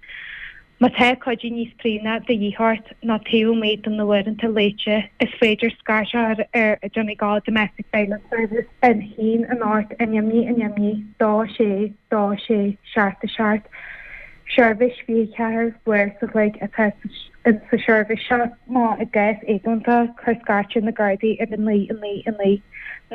Má tá cuidiú níos práinne de dhíth ort nó taobh amuigh de na huaireanta luaite, is féidir scairt a chur ar Donegal Domestic Violence Service a haon a hocht a neamhní a neamhní dó sé dó sé seacht a seacht. Seirbhís fiche ceathair uair sa chloig atá sa seirbhís seo. Má i gcás éigeandála, cuir scairt ar na Gardaí ar a naoi a naoi a naoi.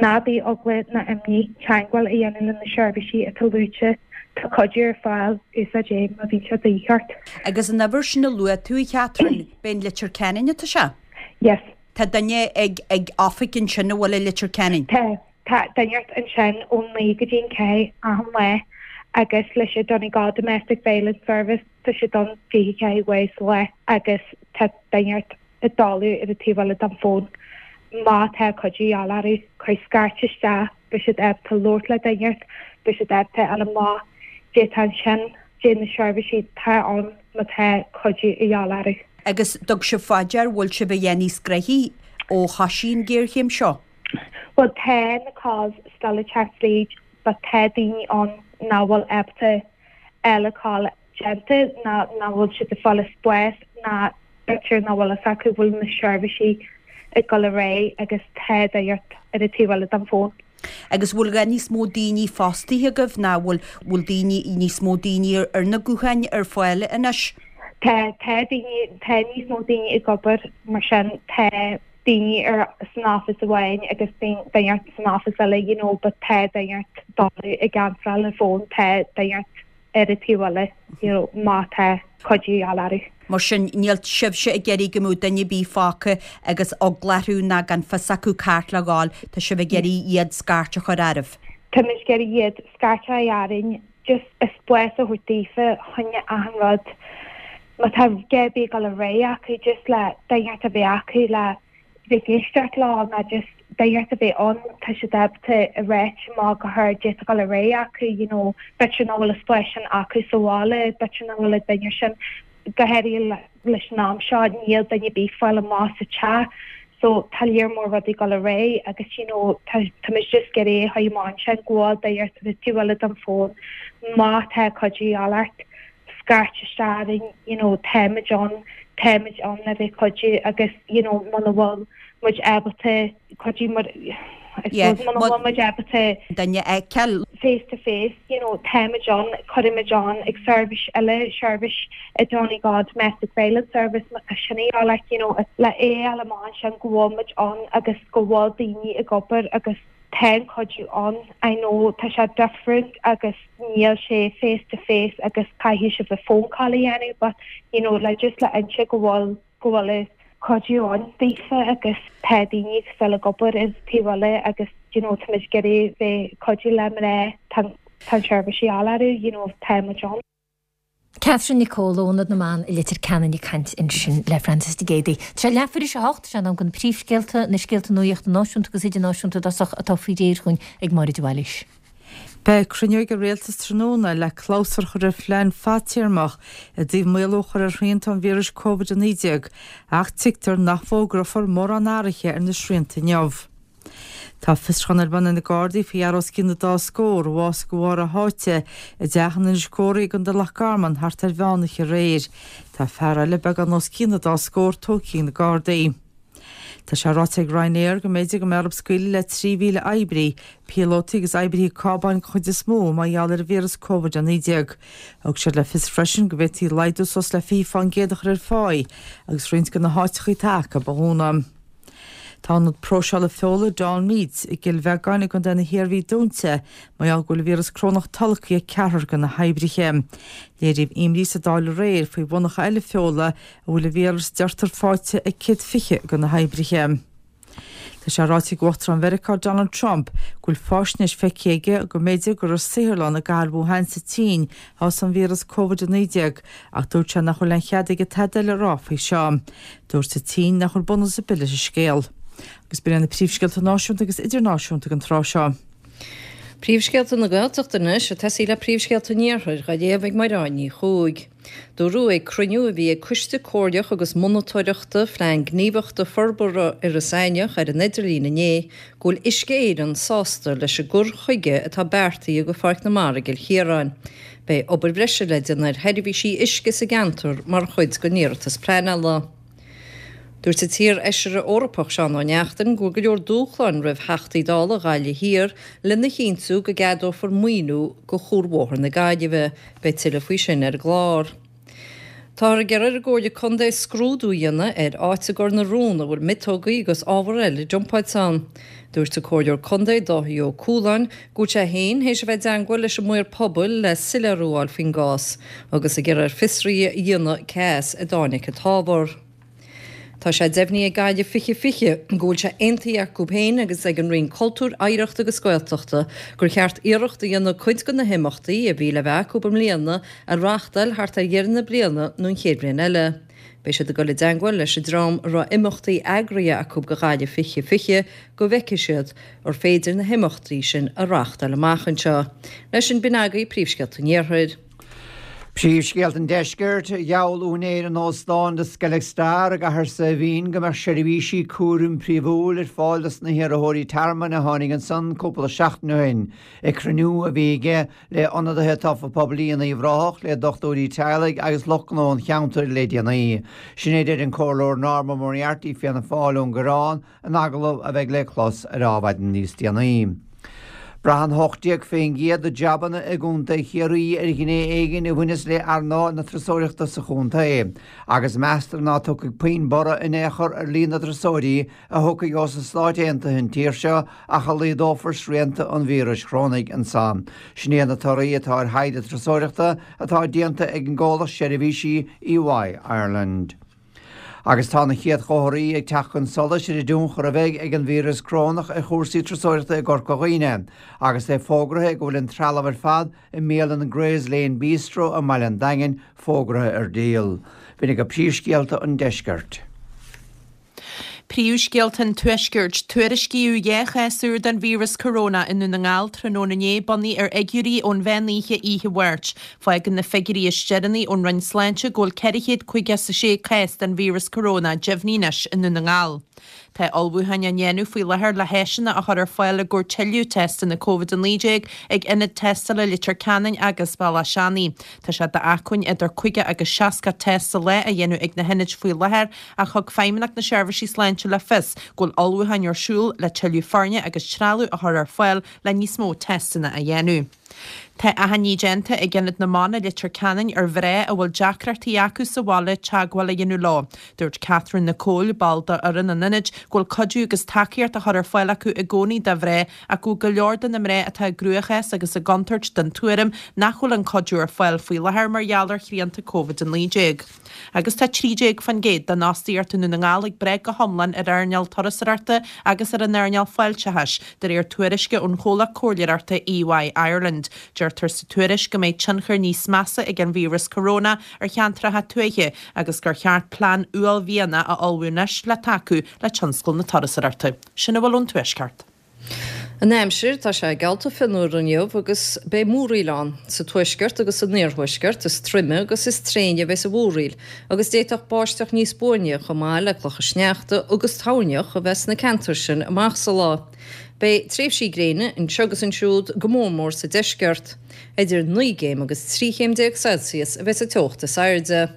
Ná bíodh eagla ná imní, teagmháil a dhéanamh le na seirbhísí atá luaite. Tá cuidiú ar fáil, úsáid é má bhíonn sé de dhíth ort. Agus an uimhir sin a luaigh tú, a Chatherine, b'é in Leitir Ceanainn atá sé? Yes. Tá duine ag ag oifig ansin a bhfuil i Leitir Ceanainn? Tá. Tá duine ansin ón naoi go dtí an ceathair achan lá agus leis an Donegal Domestic Violence Service tá siad ann fiche ceathair uair sa lá agus tá duine ag dul ar an taobh eile den fón. Má tá cuidiú de dhíth orthu, cuir scairt isteach, beidh siad ábalta labhairt le duine, beidh siad ábalta a fháil amach cad é atá ansin, cad é na seirbhísí atá ann má tá cuidiú de dhíth orthu. Agus dtug sibh fá dear, bhfuil sibh a dhath níos gnoithí ó thoisigh an ghéarchéim seo? Bhuel tá na calls still ag teacht fríd but tá daoine ann nach bhfuil ábalta eile call déanta ná nach bhfuil siad ag fáil spás ná b'fhéidir nach bhfuil fhios acu bhfuil na seirbhísí ag dul ar aghaidh agus tá duine ar an taobh eile den fón. Agus bhfuil a dhath níos mó daoine fostaithe agaibh ná bhfuil bhfuil daoine níos mó daoine ar na gutháin ar fáil anois? Tá tá daoine tá níos mó daoine ag obair mar sin tá daoine ar san office amháin agus duine san office eile you know but tá duine dul ag answeráil an fón tá duine ar an taobh eile you know má tá cuidiú de dhíth orthu. Mar sin níl sibhse ag iarraidh go mbeadh duine ar bith fágtha agus eagla orthu ná gan fios acu cá háit le ghabháil, tá sibh ag iarraidh iad scairt a chur oraibh. Tá muid ag iarraidh iad scairt a chur orainn just spás a thabhairt daofa choinne achan rud má tá a dhath ar bith ag dul ar aghaidh acu just le duine a bheith acu le bheith ag éisteacht leo ná just duine a bheith ann tá siad ábalta a ráit amach go hard d'fhéadfadh dul ar aghaidh acu you know b'fhéidir nach bhfuil an spás sin acu sa bhaile b'fhéidir nach bhfuil an duine sin go háirithe leis an am seo níl duine ar bith fáil amach sa teach so tá lear mór rudaí dul ar aghaidh agus you know tá tá muid just ag iarraidh a chur amach ansin go bhfuil duine ar taobh eile den fón má tá cuidiú a dhíobháil ort scairt isteach orainn you know táimid ann táimid ann le bheith cuidiú agus you know muna bhfuil muid ábalta cuidiú mar I suppose muna bhfuil muid ábalta duine a fheiceáil. face to face you know táimid ann cuirimid ann ag seirbhís eile seirbhís i Donegal Domestic Violence Service má tá sin a dhíobháil ort you know le é a fháil amach ansin go bhfuil muid ann agus go bhfuil daoine ag obair agus tá an cuidiú ann I know tá sé different agus níl sé face to face agus caithfidh sibh a phone call a dhéanamh but you know le just le inse go bhfuil go bhfuil an cuidiú ann daofa agus tá daoine still ag obair is taobh eile agus you know tá muid ag iarraidh bheith cuidiú le mná tá tá an seirbhísí á lorg you know tá muid ann. Catherine Nic Cóil ó Ionad na mBan i Leitir Ceanainn ag caint ansin le Francis de Géadaí. Tá sé leathuair théis a hocht, sé an am don príomhscéalta, na scéalta nuachta náisiúnta agus idirnáisiúnta i dtosach atá faoi réir dhúinn ag Máire de Bhailís. Beidh cruinniú ag an Rialtas tráthnóna le clabhsúr a chur ar phlean fadtéarmach i dtaobh maolú a chur ar shrianta an víris Covid a naoi déag ach tuigtear nach bhfógrófar mórán athruithe ar na srianta inniu. Tá fiosrúchán ar bun ag na Gardaí faoi fhear os cionn na dá scór a bhásaigh de bharr a sháite i dteach in Inis Córthaidh i gContae Loch Garman thart ar mheánoíche aréir. Tá fear eile beagán os cionn na dá scór tógtha ag na Gardaí. Tá sé ráite ag Ryanair go mb'fhéidir go mbeidh orthu scaoileadh le trí mhíle oibrí, píolótaí agus oibrithe cábáin den chuid is mó, mar gheall ar an víreas Covid a naoi déag. Thug siad le fios freisin go bhféadfaí laghdú suas le fiche fán gcéad a chur ar pháí agus roinnt de na háiteacha atá acu a dhúnadh. Tá ionad próiseála feola Dawn Meats i gCill Bheagáin i gContae na hIarmhí dúnta mar gheall go bhfuil an víreas corónach tolgtha ag ceathrar de na hoibrithe. Léiríodh imní sa Dáil aréir faoi mhonarcha eile feola a bhfuil an víreas deirtear faighte ag céad fiche de na hoibrithe. Tá sé ráite ag Uachtarán Mheiriceá Donald Trump go bhfuil faisnéis feicthe aige go mb'fhéidir gur i saotharlann i gcathair Wuhan sa tSín a thosaigh an víreas Covid a naoi déag ach dúirt sé nach bhfuil aon chead aige tada eile a rá faoi seo. Dúirt an tSín nach bhfuil bunús ar bith leis an scéal. Agus b'in iad na príomhscéalta náisiúnta agus idirnáisiúnta don tráth seo. Príomhscéalta na Gaeltachta anois, ag tosaí le príomhscéalta an Iarthair, á léamh ag Mairéad Ní Chuaig. Dúradh ag cruinniú a bhí ag Coiste Comhairleach agus Monatóireachta Phlean Gníomhachta Forbartha Iorras Aithneach ar an idirlíon inné go bhfuil Uisce Éireann sásta leis an gcur chuige atá beartaithe do Pháirc na Mara i gCill Chiaráin. Beidh obair bhreise le déanamh ar sheirbhísí uisce sa gceantar mar chuid den iarratas pleanála. Dúirt an t-iar-fheisire Eorpach Seán Ó Neachtain go bhfuil go leor dúshláin roimh Theachtaí Dála Ghaillimh Thiar lena chinntiú go gceadófar maoiniú do Chuarbhóthar na Gaillimhe. Beidh tuilleadh faoi sin ar an gclár. Táthar ag iarraidh ar an gComhairle Contae scrúdú a dhéanamh ar áit i gCor na Rón a bhfuil miotógaí agus ábhar eile dumpáilte ann. Dúirt an Comhairleoir Contae Dáithí Ó Cualáin go bhfuil sé féin théis a bheith i dteangmháil leis an maor pobail le soiléiriú a fháil faoin gcás agus ag iarraidh air fiosruithe a dhéanamh cé as a dtáinig an t-ábhar. Tá sé deimhnithe ag Gaillimh fiche fiche go bhfuil sé aontaithe acu féin agus ag an Roinn Cultúir, Oidhreachta agus Gaeltachta gur cheart iarracht a dhéanamh cuid de na himeachtaí a bhí le bheith acu i mbliana a reáchtáil thart ar dheireadh na bliana nó an chéad bhliain eile. Beidh siad ag dul i dteangmháil leis an dream a raibh imeachtaí eagraithe acu do Ghaillimh fiche fiche go bhfeicfidh siad ar féidir na himeachtaí sin a reáchtáil amach anseo. Leis sin b'in agaibh príomhscéalta an Iarthair. Príomhscéalta an Deiscirt, Gheall úinéir an óstáin The Skellig Star i gCathair Saidhbhín go mbeadh seirbhísí cúraim príomhúil ar fáil dos na hiarrthóirí tearmainn a tháinig ansan cúpla seachtain ó shin ag cruinniú a bhí aige le ionadaithe tofa pobail in Uíbh Ráthach, le dochtúirí teaghlaigh agus lucht gnó an cheantair le déanaí. Sin é a deir an Comhairleoir Norma Moriarty, Fianna Fáil ón gCoireán, in agallamh a bheidh le clos ar Adhmhaidin níos déanaí. Braitheann hocht déag faoin gcéad de jabanna i gContae Chiarraí ar ghné éigin a bhaineas le earnáil na turasóireachta sa chontae, agus meastar ná tiocfaidh puinn borradh in aon chor ar líon na dturasóirí a thiocfaidh ós na Stáit Aontaithe an tír seo ach a laghdófar srianta an víris chorónaigh anso. Sin iad na torthaí atá ar thaighde turasóireachta atá déanta ag an gcomhlacht seirbhísí EY Ireland. Agus tá na chéad chomharthaí ag teacht chun solais ar an dtionchar a bheidh ag an víreas corónach ar chúrsaí turasóireachta i gCorca Dhuibhne, agus é fógraithe go bhfuil an trealamh ar fad i mbialann Gray's Lane Bistro i mbaile an Daingin fógraithe ar díol. B'in agaibh príomhscéalta an deiscirt. Príomhscéalta an Tuaiscirt, Tuairiscíodh dhá chás úr den víreas corónach i nDún na nGall tráthnóna inné, bunaithe ar fhigiúirí ón mheán oíche oíche Mháirt. Fágann na figiúirí is deireanaí ón Roinn Sláinte go bhfuil ceithre chéad caoga is a sé cás den víreas corónach deimhnithe anois i nDún na nGall. Tá ullmhúcháin á ndéanamh faoi láthair le háiseanna a chur ar fáil i gcomhair tuilleadh teisteanna Covid a naoi déag ag ionaid tástála Leitir Ceanainn agus Bealach Seanaidh. Tá sé d'acmhainn idir caoga agus seasca test sa lá a dhéanamh ag na hionaid faoi láthair ach thug Feidhmeannacht na Seirbhísí Sláinte le fios go bhfuil ullmhúcháin ar siúl le tuilleadh foirne agus trealamh a chur ar fáil le níos mó teisteanna a dhéanamh. Tá achainí déanta ag Ionad na mBan i Leitir Ceanainn ar mhná a bhfuil deacrachtaí acu sa bhaile teagmháil a dhéanamh leo. Dúirt Catherine Nicole, ball d'fhoireann an ionaid, go bhfuil cuidiú agus tacaíocht á chur ar fáil acu i gcónaí do mhná ach go bhfuil go leor de na mná atá i gcruachás agus i gcontúirt den tuairim nach bhfuil an cuidiú ar fáil faoi láthair mar gheall ar shrianta Covid a naoi déag. Agus tá trí déag faoin gcéad den fhostaíocht i nDún na nGall ag brath go hiomlán ar earnáil turasóireachta agus ar an earnáil fáilteachais, de réir tuairisce ón chomhlacht comhairleoireachta EY Ireland. Deirtear sa tuairisc go mbeidh tionchar níos measa ag an víreas corónach ar cheantracha tuaithe agus gur cheart plean uaillmhianach a ullmhú anois le tacú le tionscal na turasóireachta. Sin a bhfuil ón Tuaisceart. An aimsir, tá sé geallta fionnuar inniu agus beidh múraíl ann. Sa tuaisceart agus san iarthuaisceart is troime agus is tréine a bheas an mhúraíl agus d'fhéadfadh báisteach níos buaine chomh maith le clocha sneachta agus toirneach a bheith sna ceantair sin amach sa lá. Beidh tréimhsí gréine anseo agus ansiúd go mór mór sa deisceart. Idir naoi gcéim agus trí chéim déag Celsius a bheas an teocht is airde.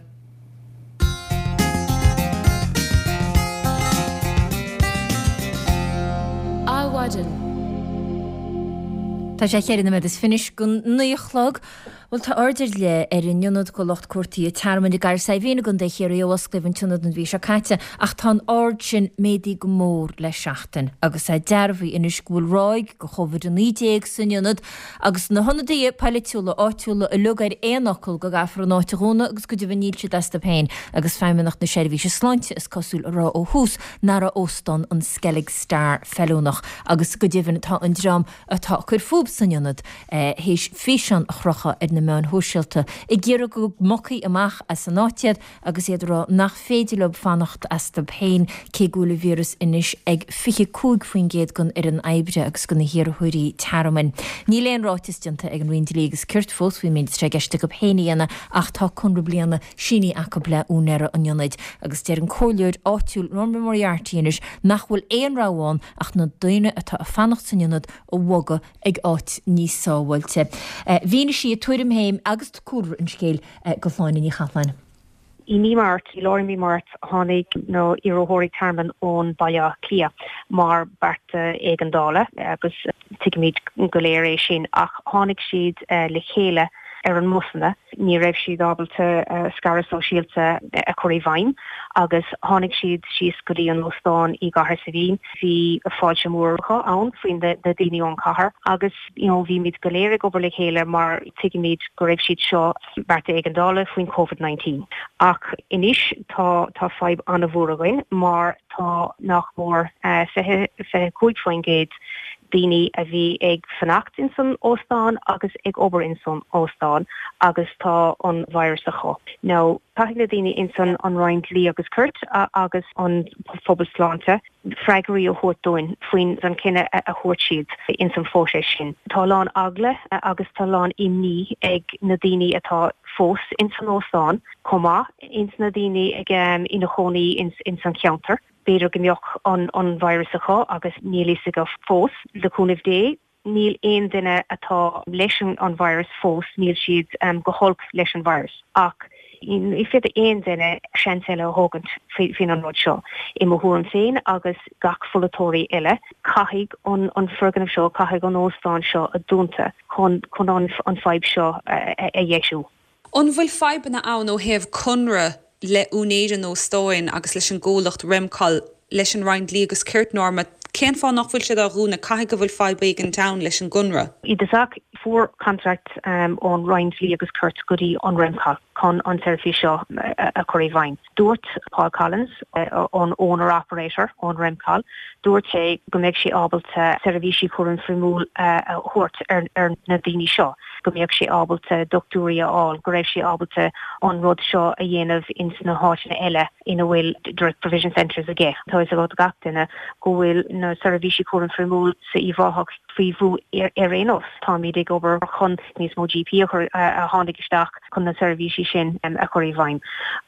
Adhmhaidin. Tá sé cheithre nóiméad is fiche go naoi a chlog. Bhuel, tá aird ar leith ar an ionad do lucht cuartaithe tearmainn i gCathair Saidhbhín i gContae Chiarraí ó osclaíodh an t-ionad an mhí seo caite ach tá an aird sin méadaithe go mór le seachtain agus é dearbhaithe anois go bhfuil ráig de Covid a naoi déag san ionad agus na hionadaithe polaitiúla áitiúla uilig ar aon fhocal go gcaithfear an áit a dhúnadh agus go deimhin níl siad astu féin agus Feidhmeannacht na Seirbhíse Sláinte is cosúil a rá ó thús nach raibh óstán an Skellig Star feiliúnach agus go deimhin tá an dream atá ag cur fúthu san ionad théis físeán a chrochadh ar na meáin shóisialta ag iarraidh go mbogfaí amach as an áit iad agus iad ag rá nach féidir leo fanacht astu féin cé go bhfuil an víreas anois ag fiche cúig faoin gcéad den fhoireann oibre agus de na hiarrthóirí tearmainn. Níl aon ráiteas déanta ag an Roinn Dlí agus Cirt fós faoin méid atá i gceist acu féin a dhéanamh ach tá conradh bliana sínithe acu le úinéirí an ionaid agus deir an comhairleoir áitiúil Norma Moriarty anois nach bhfuil aon rogha ann ach na daoine atá ag fanacht san ionad a bhogadh ag áit níos sábháilte. Mhínigh sí a tuairim féin agus cúlra an scéil do Shláine Ní Chathalláin. I mí Márta, i lár mí Márta, tháinig na iarrthóirí tearmainn ón Baile Átha Cliath mar bearta éigeandála agus tuigimid go léir é sin ach tháinig siad le chéile ar an mbusanna, ní raibh siad ábalta scaradh sóisialta a chur i bhfeidhm agus tháinig siad síos go dtí an óstán i gCathair Saidhbhín. Bhí fáilte mór ann faoin na daoine ón chathair agus you know bhímid go léir ag obair le chéile mar tuigimid go raibh siad seo bearta éigeandála faoin Covid nineteen. Ach anois tá tá fadhb an-mhór againn mar tá nach mór fiche fiche cúig faoin gcéad daoine a bhí ag fanacht ins an óstán agus ag obair ins an óstán agus tá an virus acu. Now caithfidh na daoine ins an an Roinn Dlí agus Cirt agus an Phobal Sláinte freagraí a thabhairt dúinn faoin an cinneadh a thabhairt siad ins an phróiseas sin. Tá a lán eagla agus tá a lán imní ag na daoine atá fós ins an óstán chomh maith ins na daoine ag ina chónaí ins ins an cheantar. B'fhéidir go mbeadh an an virus acu agus níl fhios acu fós. Le cúnamh Dé, níl aon duine atá leis an virus fós, níl siad go holc leis an virus. Ach ní féidir aon duine seans eile a thógaint faoin an rud seo. I mo thuairim féin agus gach pholaiteoirí eile, caithfidh an an foirgneamh seo, caithfidh an óstán seo a dúnta chun chun an an fadhb seo a dheisiú. An bhfuil fadhbanna ann ó thaobh conradh le úinéir an óstáin agus leis an gcomhlacht Remcol, leis an Roinn Dlí agus Cirt, Norma, cén fáth nach bhfuil siad á dhúnadh? Caithfidh go bhfuil fadhb éigin ann leis an gconradh. I dtosach, fuair contract ón Roinn Dlí agus Cirt go dtí an Remcol chun an seirbhís seo a chur i bhfeidhm. Dúirt Paul Collins, an owner operator ón Remcol, dúirt sé go mbeidh sé ábalta seirbhísí cúraim foirmiúil a thabhairt ar na daoine seo. go mbeadh sé ábalta dochtúirí a fháil, go raibh sé ábalta an rud seo a dhéanamh ins na háiteanna eile ina bhfuil direct provision centres aige. Tá a fhios ag gach duine go bhfuil na seirbhísí cúraim foirmiúil sa Uíbh Ráthach faoi bhrú ar aon nós. Táimid ag obair chun níos mó GP a chur a tháinig isteach chun na seirbhísí sin a chur i bhfeidhm.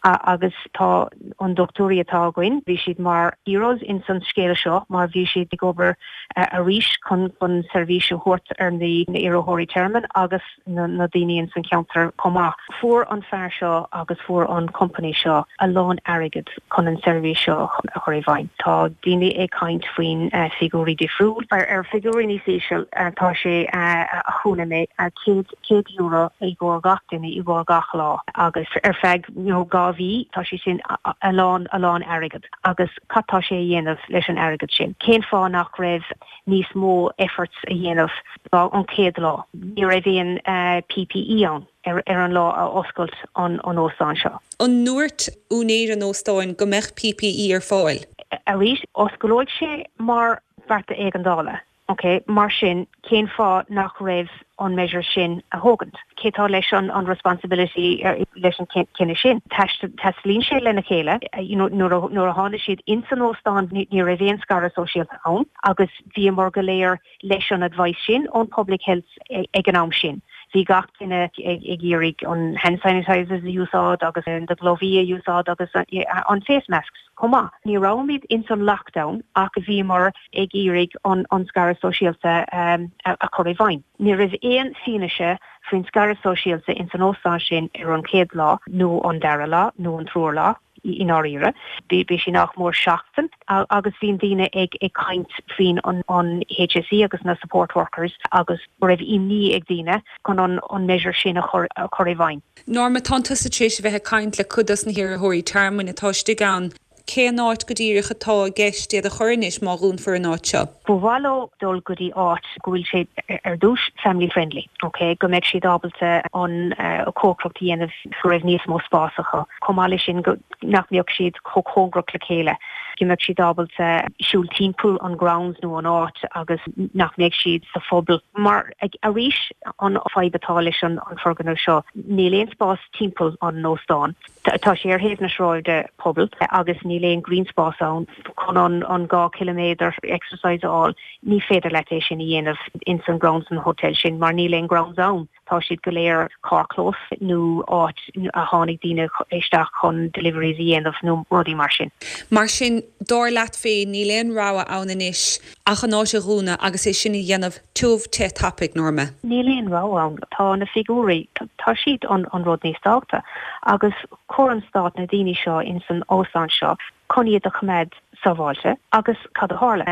Agus tá an dochtúirí atá againn, bhí siad mar heroes in san scéal seo mar bhí siad ag obair arís chun chun seirbhís a thabhairt ar na iarrthóirí tearmainn agus na na daoine in san cheantar chomh maith. Fuair an fear seo agus fuair an company seo a lán airgead chun an seirbhís seo a chur i bhfeidhm. Tá daoine ag caint faoin figiúirí difriúil. Ar figiúirí níos íseal tá sé a chuala mé céad céad euro i gcomhair gach duine i gcomhair gach lá agus ar feadh you know dhá mhí tá sé sin a lán a lán airgead agus cad tá sé a dhéanamh leis an airgead sin. Cén fáth nach raibh níos mó efforts a dhéanamh an chéad lá. Ní raibh aon PPE ann ar ar an lá a oscailt an an óstán seo. An ndúirt úinéir an óstáin go mbeadh PPE ar fáil? Arís, osclóidh sé mar bhearta éigeandála. Ok, mar sin cén fáth nach raibh an measure sin a thógaint? Cé tá leis an an responsibility leis an cinneadh sin? Taistealaíonn sé lena chéile you know, nuair nuair a tháinig siad in san óstán ní raibh aon scaradh sóisialta ann agus bhíomar go léir leis an advice sin ón public health ag an am sin. Bhí gach duine ag iarraidh an hand sanitizers a úsáid agus na gloves a úsáid agus an face masks chomh maith. Ní raibhimid in san lockdown ach bhíomar ag iarraidh an an scaradh sóisialta um, a, a chur i bhfeidhm. Ní raibh aon fianaise faoin scaradh sóisialta in san óstán sin ar an chéad lá nó an dara lá nó an tríú lá i ndáiríre. Bhí sé nach mór seachtain agus bhí daoine ag ag caint faoin an, an HSE agus na support workers agus go raibh imní ag daoine chun an, an measure sin a chur, a chur i bhfeidhm. Norma tá tusa tar éis a bheith ag caint le cuid dos na hiarrthóirí tearmainn atá istigh ann. Cén áit go díreach atá i gceist iad a chur anois má dhúnfar an áit seo. Ba mhaith leo dul go dtí áit go bhfuil sé ar dtús family friendly, ok, go mbeidh siad ábalta an uh, cócaireacht a dhéanamh go raibh níos mó spás acu. Chomh maith leis sin go nach mbeadh siad chomh cóngarach le chéile. Go mbeadh siad ábalta siúl timpeall an grounds nó an áit agus nach mbeadh siad sa phobal. Mar ag, arís an fadhb atá leis an, an foirgneamh seo, níl aon spás timpeall an óstán. Tá sé ar thaobh na sráide pobal agus níl aon green spás ann chun an, an dhá kilometer exercise a fháil, ní féidir leat é sin a dhéanamh in san grounds an hotel sin mar níl aon grounds ann. Tá siad go léir carrchlós nó áit a tháinig daoine isteach chun deliveries a dhéanamh nó rudaí mar sin. Mar sin dar leat féin níl aon rogha ann anois ach an áit a dhúnadh agus é sin a dhéanamh tiubh te tapaidh Norma. Níl aon rogha ann tá na figiúirí tá siad an, an rud níos tábhachtaí agus chuir an stát na daoine seo in san óstán seo chun iad a choimeád sábháilte agus cad a tharla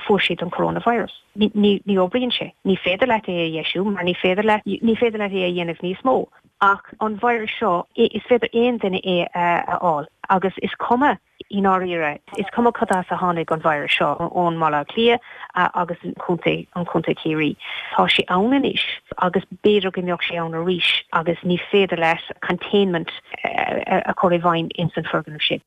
fuair siad an coronavirus. Ní, ní, ní oibríonn sé. Ní féidir leat é a dheisiú mar ní féidir le ní féidir leat é a dhéanamh níos mó. Ach an virus seo is féidir aon duine é a fháil agus is cuma i ndáiríre is cuma cad as a tháinig an virus seo ón mBaile Átha Cliath agus an contae an contae Ciarraí. Tá sé ann anois agus b'fhéidir go mbeadh sé ann arís agus ní féidir leat containment a chur i bhfeidhm in san foirgneamh sin.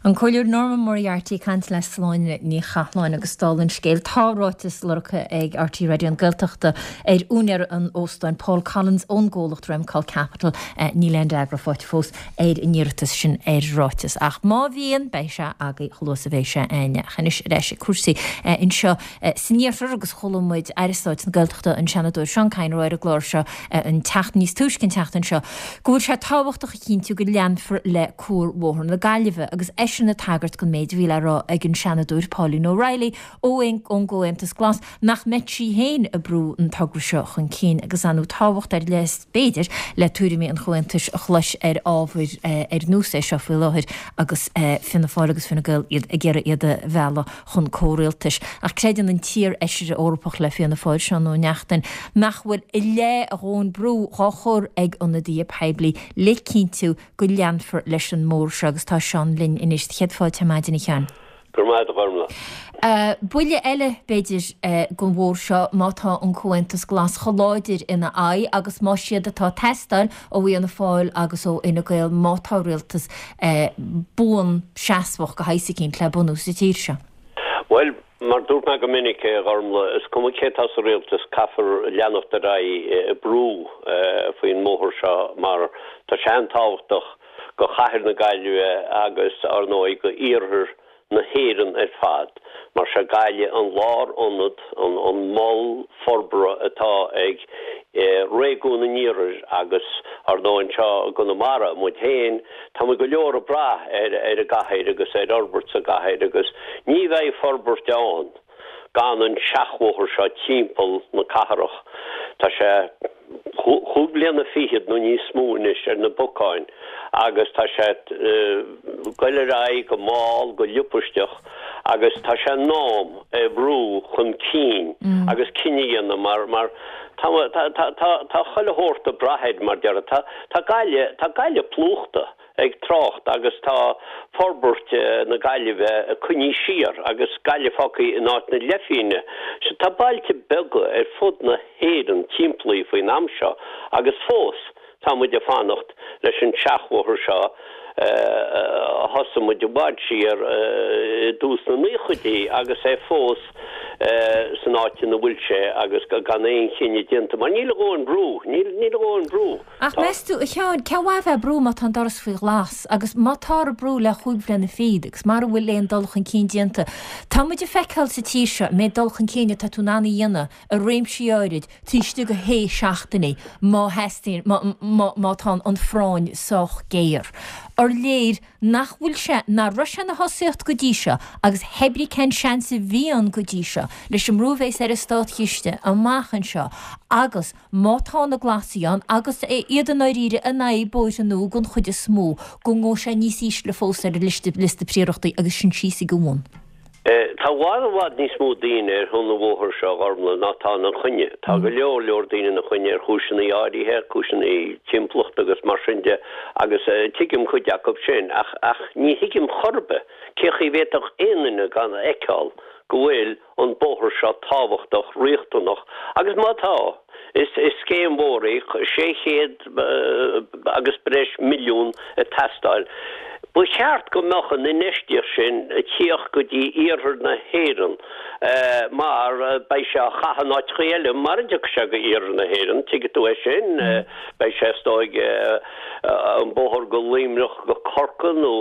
An Comhairleoir Norma Moriarty caint le Sláine Ní Chatháin agus dála an scéil tá ráiteas lorgtha ag RTÉ Raidió na Gaeltachta ar úinéir an óstáin Paul Collins ón gcomhlacht Remcol Capital níl aon fhreagra faighte fós ar an iarratas sin ar ráiteas. Ach má bhíonn beidh sé agaibh chomh luath is a bheidh sé aine chenis leis cúrsaí anseo san iarthar agus chuala muid Aire Stáit na Gaeltachta an Seanadóir Seán Kyne ar an gclár seo an tseachtain níos túisce an tseachtain seo, go bhfuil sé tábhachtach a chinntiú go leanfar le Cuarbhóthar na Gaillimhe agus eisean ag tagairt don méid a bhí le rá ag an Seanadóir Pauline O'Reilly ó ón gComhaontas Glas nach mbeadh sí féin ag brú an togra seo chun cinn agus anú tábhacht ar leith b'fhéidir le tuairimí an Chomhaontais a chlos ar ábhair ar nós é seo faoi láthair agus Fianna Fáil agus Fine Gael iad ag iarraidh iad a mhealladh chun comhrialtais. Ach creideann an t-iar-fheisire Eorpach le Fianna Fáil Seán Ó Neachtain nach bhfuil i leith a dhóthain brú á chur ag ionadaithe poiblí le cinntiú go leanfar leis an mbóthar seo agus tá Seán linn anois céad fáilte maidin a Sheáin. Gur maith a Ghormlaith. Buille eile b'fhéidir don bhóthar seo má tá an Comhaontas Glas chomh láidir ina aghaidh agus má siad atá ag teastáil ó Fhianna Fáil agus ó Fhine Gael má tá rialtas buan seasmhach de shaghas eicínt le bunú sa tír seo. Bhuel, mar dúirt mé go minic, a Ghormlaith, is cuma cé atá sa rialtas, caithfear leanacht ar aghaidh ag brú faoin mbóthar seo mar tá sé an-tábhachtach go chathair na Gaillimhe agus, ar ndóigh, go iarthar na hÉireann ar fad, mar sé Gaillimh an lárionad, an mol forbartha atá ag réigiún an iarthair agus, ar ndóigh, anseo i gConamara, muid féin, tá muid go leor ag brath ar an gcathair agus ar fhorbairt sa gcathair agus ní bheidh forbairt ann gan an seachbhóthar seo timpeall na cathrach. Tá sé chúig bliana fichead nó níos mó anois ar na bacáin agus tá sé ag goil ar aghaidh go mall, go liopaisteach agus tá sé in am é a bhrú chun cinn agus cinneadh a dhéanamh mar mar tá tá tá tá chuile shórt ag brath air mar déarfá. Tá tá Gaillimh tá Gaillimh plúchta. ag trácht agus tá forbairt na Gaillimhe coinnithe siar agus Gaillimh fágtha in áit na leithphingne. Sea, tá bailte beaga ar fud na hÉireann timplí faoin am seo agus fós tá muid ag fanacht leis an seachbhóthar seo a thosaigh muid i bhfad siar i dtús na naochaidí agus é fós san áit ina bhfuil sé agus gan aon chinneadh déanta mar níl a dhóthain brú, níl a dhóthain brú. Ach meas tú, a Sheáin, cén mhaith a bheith ag brú má tá an doras faoi ghlas agus má táthar ag brú le chúig bhliana fichead agus mara bhfuil aon dul chun cinn déanta? Tá muid ag feiceáil sa tír seo an méid dul chun cinn atá tú in ann a dhéanamh i réimsí áirid taobh istigh de shé seachtainí má theastaíonn, má tá an phráinn sách géar. Ar léir nach bhfuil sé, nach raibh sé ina thosaíocht go dtí seo agus hé brí cén seans a bhí ann go dtí seo leis an mbrú a bheas ar an státchiste amach anseo agus má tá na Glasaigh ann agus iad i ndáiríre in aghaidh bóithre nua den chuid is mó, go ngabhfaidh sé níos ísle fós ar an liosta príorachtaí agus sinn síos ag an bhun. Tá i bhfad i bhfad níos mó daoine ar shon an bhóthair seo, a Ghormlaith, ná tá ina choinne. Tá go leor leor daoine ina choinne ar chúiseanna áirithe, cúiseanna timpeallachta agus mar sin de, agus tuigim cuid acu sin, ach ach ní thuigim chor ar bith cé chaoi a bhféadfadh aon duine gan a fheiceáil go bhfuil an bóthar seo tábhachtach, riachtanach, agus má tá, is scéim mhór í, sé chéad agus breis milliún ag teastáil. Ba cheart go mbeadh an infheistíocht sin ag tíocht go dtí iarthar na hÉireann mar beidh sé á chaitheamh in áiteachaí eile mara dtiocfaidh sé go iarthar na hÉireann, tuigfidh tú é sin. Beidh sé is dóigh an bóthar go Luimneach go Corcaigh nó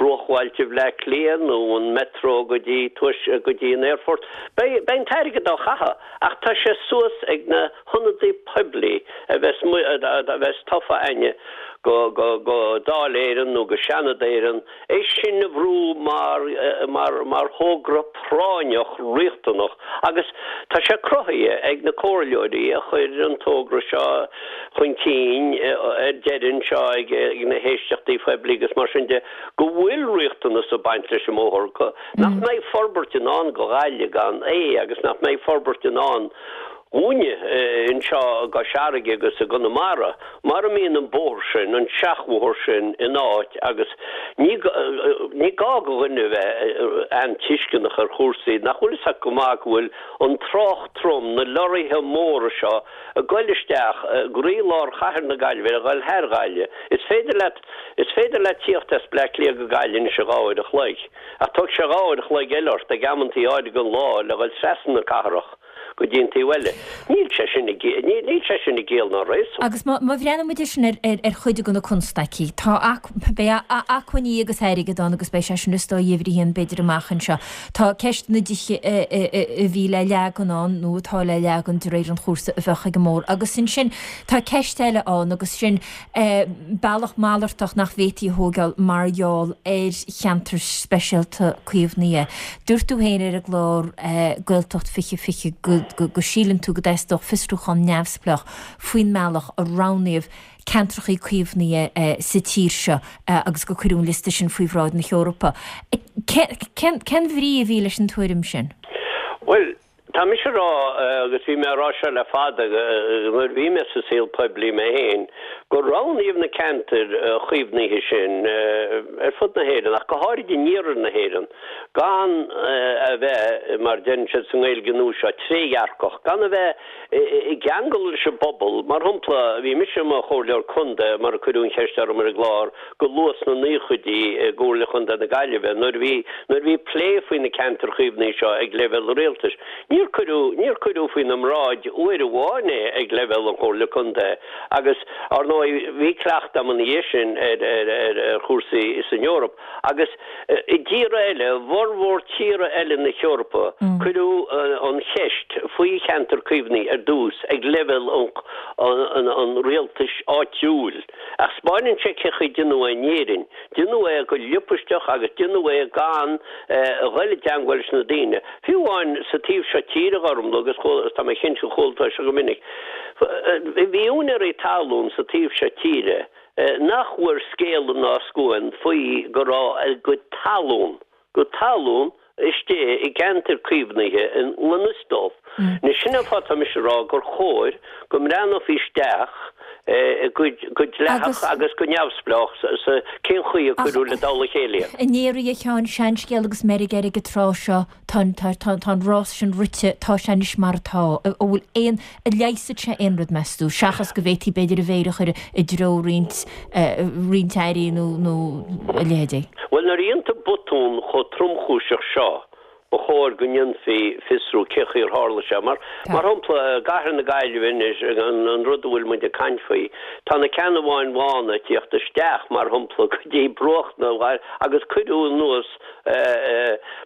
bruachbhailte Bhleá Cliath nó an Metro go dtí go dtí an aerfort. Beidh an t-airgead á chaitheamh ach tá sé suas ag na hionadaí poiblí a bheas a bheas tofa againne go go go Dáil Éireann nó go Seanad Éireann é sin a bhrú mar mar mar thogra práinneach riachtanach agus tá sé cruthaithe ag na comhairleoirí a chuir an togra seo chun cinn ar deireadh anseo ag ag na héisteachtaí poiblí agus mar sin de go bhfuil riachtanas ag baint leis an mbóthar, nach mbeidh forbairt i ndán go Ghaillimh gan é agus nach mbeidh forbairt i ndán dhúinne anseo i gCois Fharraige agus i gConamara mara mbíonn an bóthar sin, an seachbhóthar sin in áit agus ní ní gá go dhuine a bheith an-tuisceanach ar chúrsaí nach bhfuil fhios acu go maith go bhfuil an trácht trom, na lorraithe móra seo ag goil isteach i gcroílár chathair na Gaillimhe, ag goil thar Ghaillimh. Is féidir leat Is féidir leat tíocht as Bleá Cliath go Gaillimh anois i dhá uair a chloig, ach tógfaidh sé dhá uair a chloig eile ort ag amantaí áirithe den lá le dhul trasna na cathrach go dtí an taobh eile. Níl sé sin i níl sé sin i gciall ná réasún. Agus má bhreathnaíonn muid air sin ar chuid de na constaicí, tá beidh acmhainní agus airgead ann agus beidh sé sin is dóigh uimhir a haon b'fhéidir amach anseo. Tá ceist na dtithe a bhí le leagan ann nó atá le leagan de réir an chúrsa a bheadh ag an mbóthar. Agus ansin tá ceist eile ann agus sin bealach malartach nach bhféadfaí a thógáil mar gheall ar cheantar speisialta caomhnaithe. Dúirt tú féin ar an gclár Gaeltacht fiche fiche go go síleann tú go dteastódh fiosrúchán neamhspleách faoin mbealach a roghnaíodh ceantracha caomhnaithe sa tír seo agus gur cuireadh an liosta sin faoi bhráid na hEorpa. Cén bhrí a bhí leis an tuairim sin? Bhuel, Tá mise a rá, agus bhí mé a rá seo le fada, nuair a bhí mé sa saol poiblí mé féin, gur roghnaíodh na ceantair chaomhnaithe sin ar fud na hÉireann, ach go háirid in iarthar na hÉireann, gan a bheith, mar a deireann siad sa nGaeilge nua seo, trédhearcach, gan a bheith i gceangal leis an bpobal. Mar shampla, bhí mise i mo chomhairleoir contae, mar a cuireadh an cheist orm ar an gclár, go luath sna naochaidí i gComhairle Chontae na Gaillimhe, nuair a bhí nuair a bhí plé faoi na ceantair chaomhnaithe seo ag leibhéal an rialtais. Níor cuireadh níor cuireadh faoina mbráid uair amháin é ag leibhéal an Chomhairle Contae agus, ar ndóigh, bhí cleachtadh agam ina dhiaidh sin ar ar ar chúrsaí san Eoraip agus i dtíortha eile, i bhformhór tíortha eile na hEorpa, cuireadh an cheist faoi cheantar caomhnaithe ar dtús ag leibhéal an an rialtais áitiúil. Ach 'spáineann sé cén chaoi a déanadh é in Éirinn. Déanadh é go liopaisteach agus déanadh é gan a dhul i dteangmháil leis na daoine. Fiú amháin sa taobh seo tíre, a Ghormfhlaith, agus chuala, tá mé cinnte gur chuala tú é seo go minic, bhí úinéirí talún sa taobh seo tíre nach bhfuair scéala ná scuan faoi go raibh a gcuid talún, gcuid talún istigh i gceantar caomhnaithe i ngan fhios dóibh. Anois sin an fáth atá mise ag rá gur chóir go mbreathnófaí isteach go dleathach agus go neamhspleách sa cén chaoi a cuireadh le dtoll a chéile iad. I ndáiríre a Sheáin, seanscéal agus meirg air ag an tráth seo, tá an tá tá an rás sin rite, tá sé anois mar atá. An bhfuil aon, an leigheasfaidh sé aon rud meas tú, seachas go bhféadfaí b'fhéidir a mhéar a chur i dtreo roinnt roinnt airí nó nó a leithéidí? Bhuel nuair a dhéantar botún chomh tromchúiseach seo, ba chóir go ndéanfaí fiosrú cén chaoi ar tharla sé. Mar mar shampla, i gcathair na Gaillimhe anois, an rud a bhfuil muid ag caint faoi, tá na ceannabháin bhána ag tíocht isteach, mar shampla, go dtí bruach na agus cuireadh anuas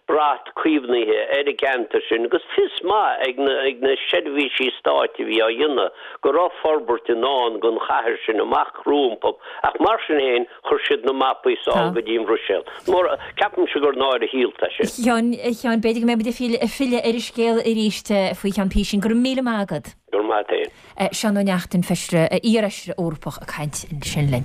brat caomhnaithe ar an gceantar sin agus fios maith ag na ag na seirbhísí stáit a bhí á dhéanamh go raibh forbairt i ndán don chathair sin amach rompu ach mar sin féin Chuir siad na mapaí sall go dtí an Bhruiséil. Mór, ceapaimse gur náire shaolta é sin. A Sheáin, b'fhéidir go mbeidh muid ag filleadh ar an scéal arís faoi cheann písín. Go raibh míle maith agat. Go raibh maith agat féin. Seán Ó Neachtain, Feisire, iar-Fheisire Eorpach ag caint ansin linn.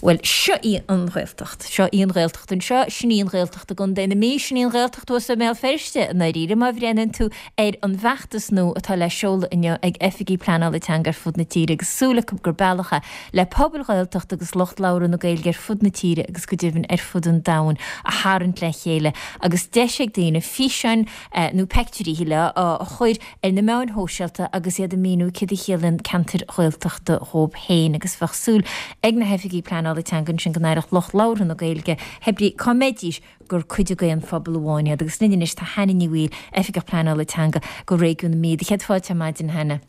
Bhuel, seo í an Ghaeltacht. Seo í an Ghaeltacht anseo, sin í an Ghaeltacht i gContae na Mí, sin í an Ghaeltacht thuas i mBéal Feirste, i ndáiríre, má bhreathnaíonn tú ar an bhfeachtas nua atá le seoladh inniu ag oifigigh pleanála teanga ar fud na tíre agus súil acu gur bealach é le pobail Ghaeltachta agus lucht labhartha na Gaeilge ar fud na tíre agus go deimhin ar fud an domhain a tharraingt le chéile agus deis ag daoine físeáin nó peictiúirí shílfeá a chur ar na meáin shóisialta agus iad ag míniú céard a chiallaíonn ceantair Ghaeltachta dhóibh féin agus bheadh súil ag na hoifigigh pleanála teanga ansin go n-aireodh lucht labhartha na Gaeilge hé brí cá mbeidís gur cuid d'aon phobal amháin iad agus linn anois tá Hannah Ní Bhaoill, Oifigeach Pleanála Teanga do Réigiún na Mí. Céad fáilte ar maidin, a Hannah.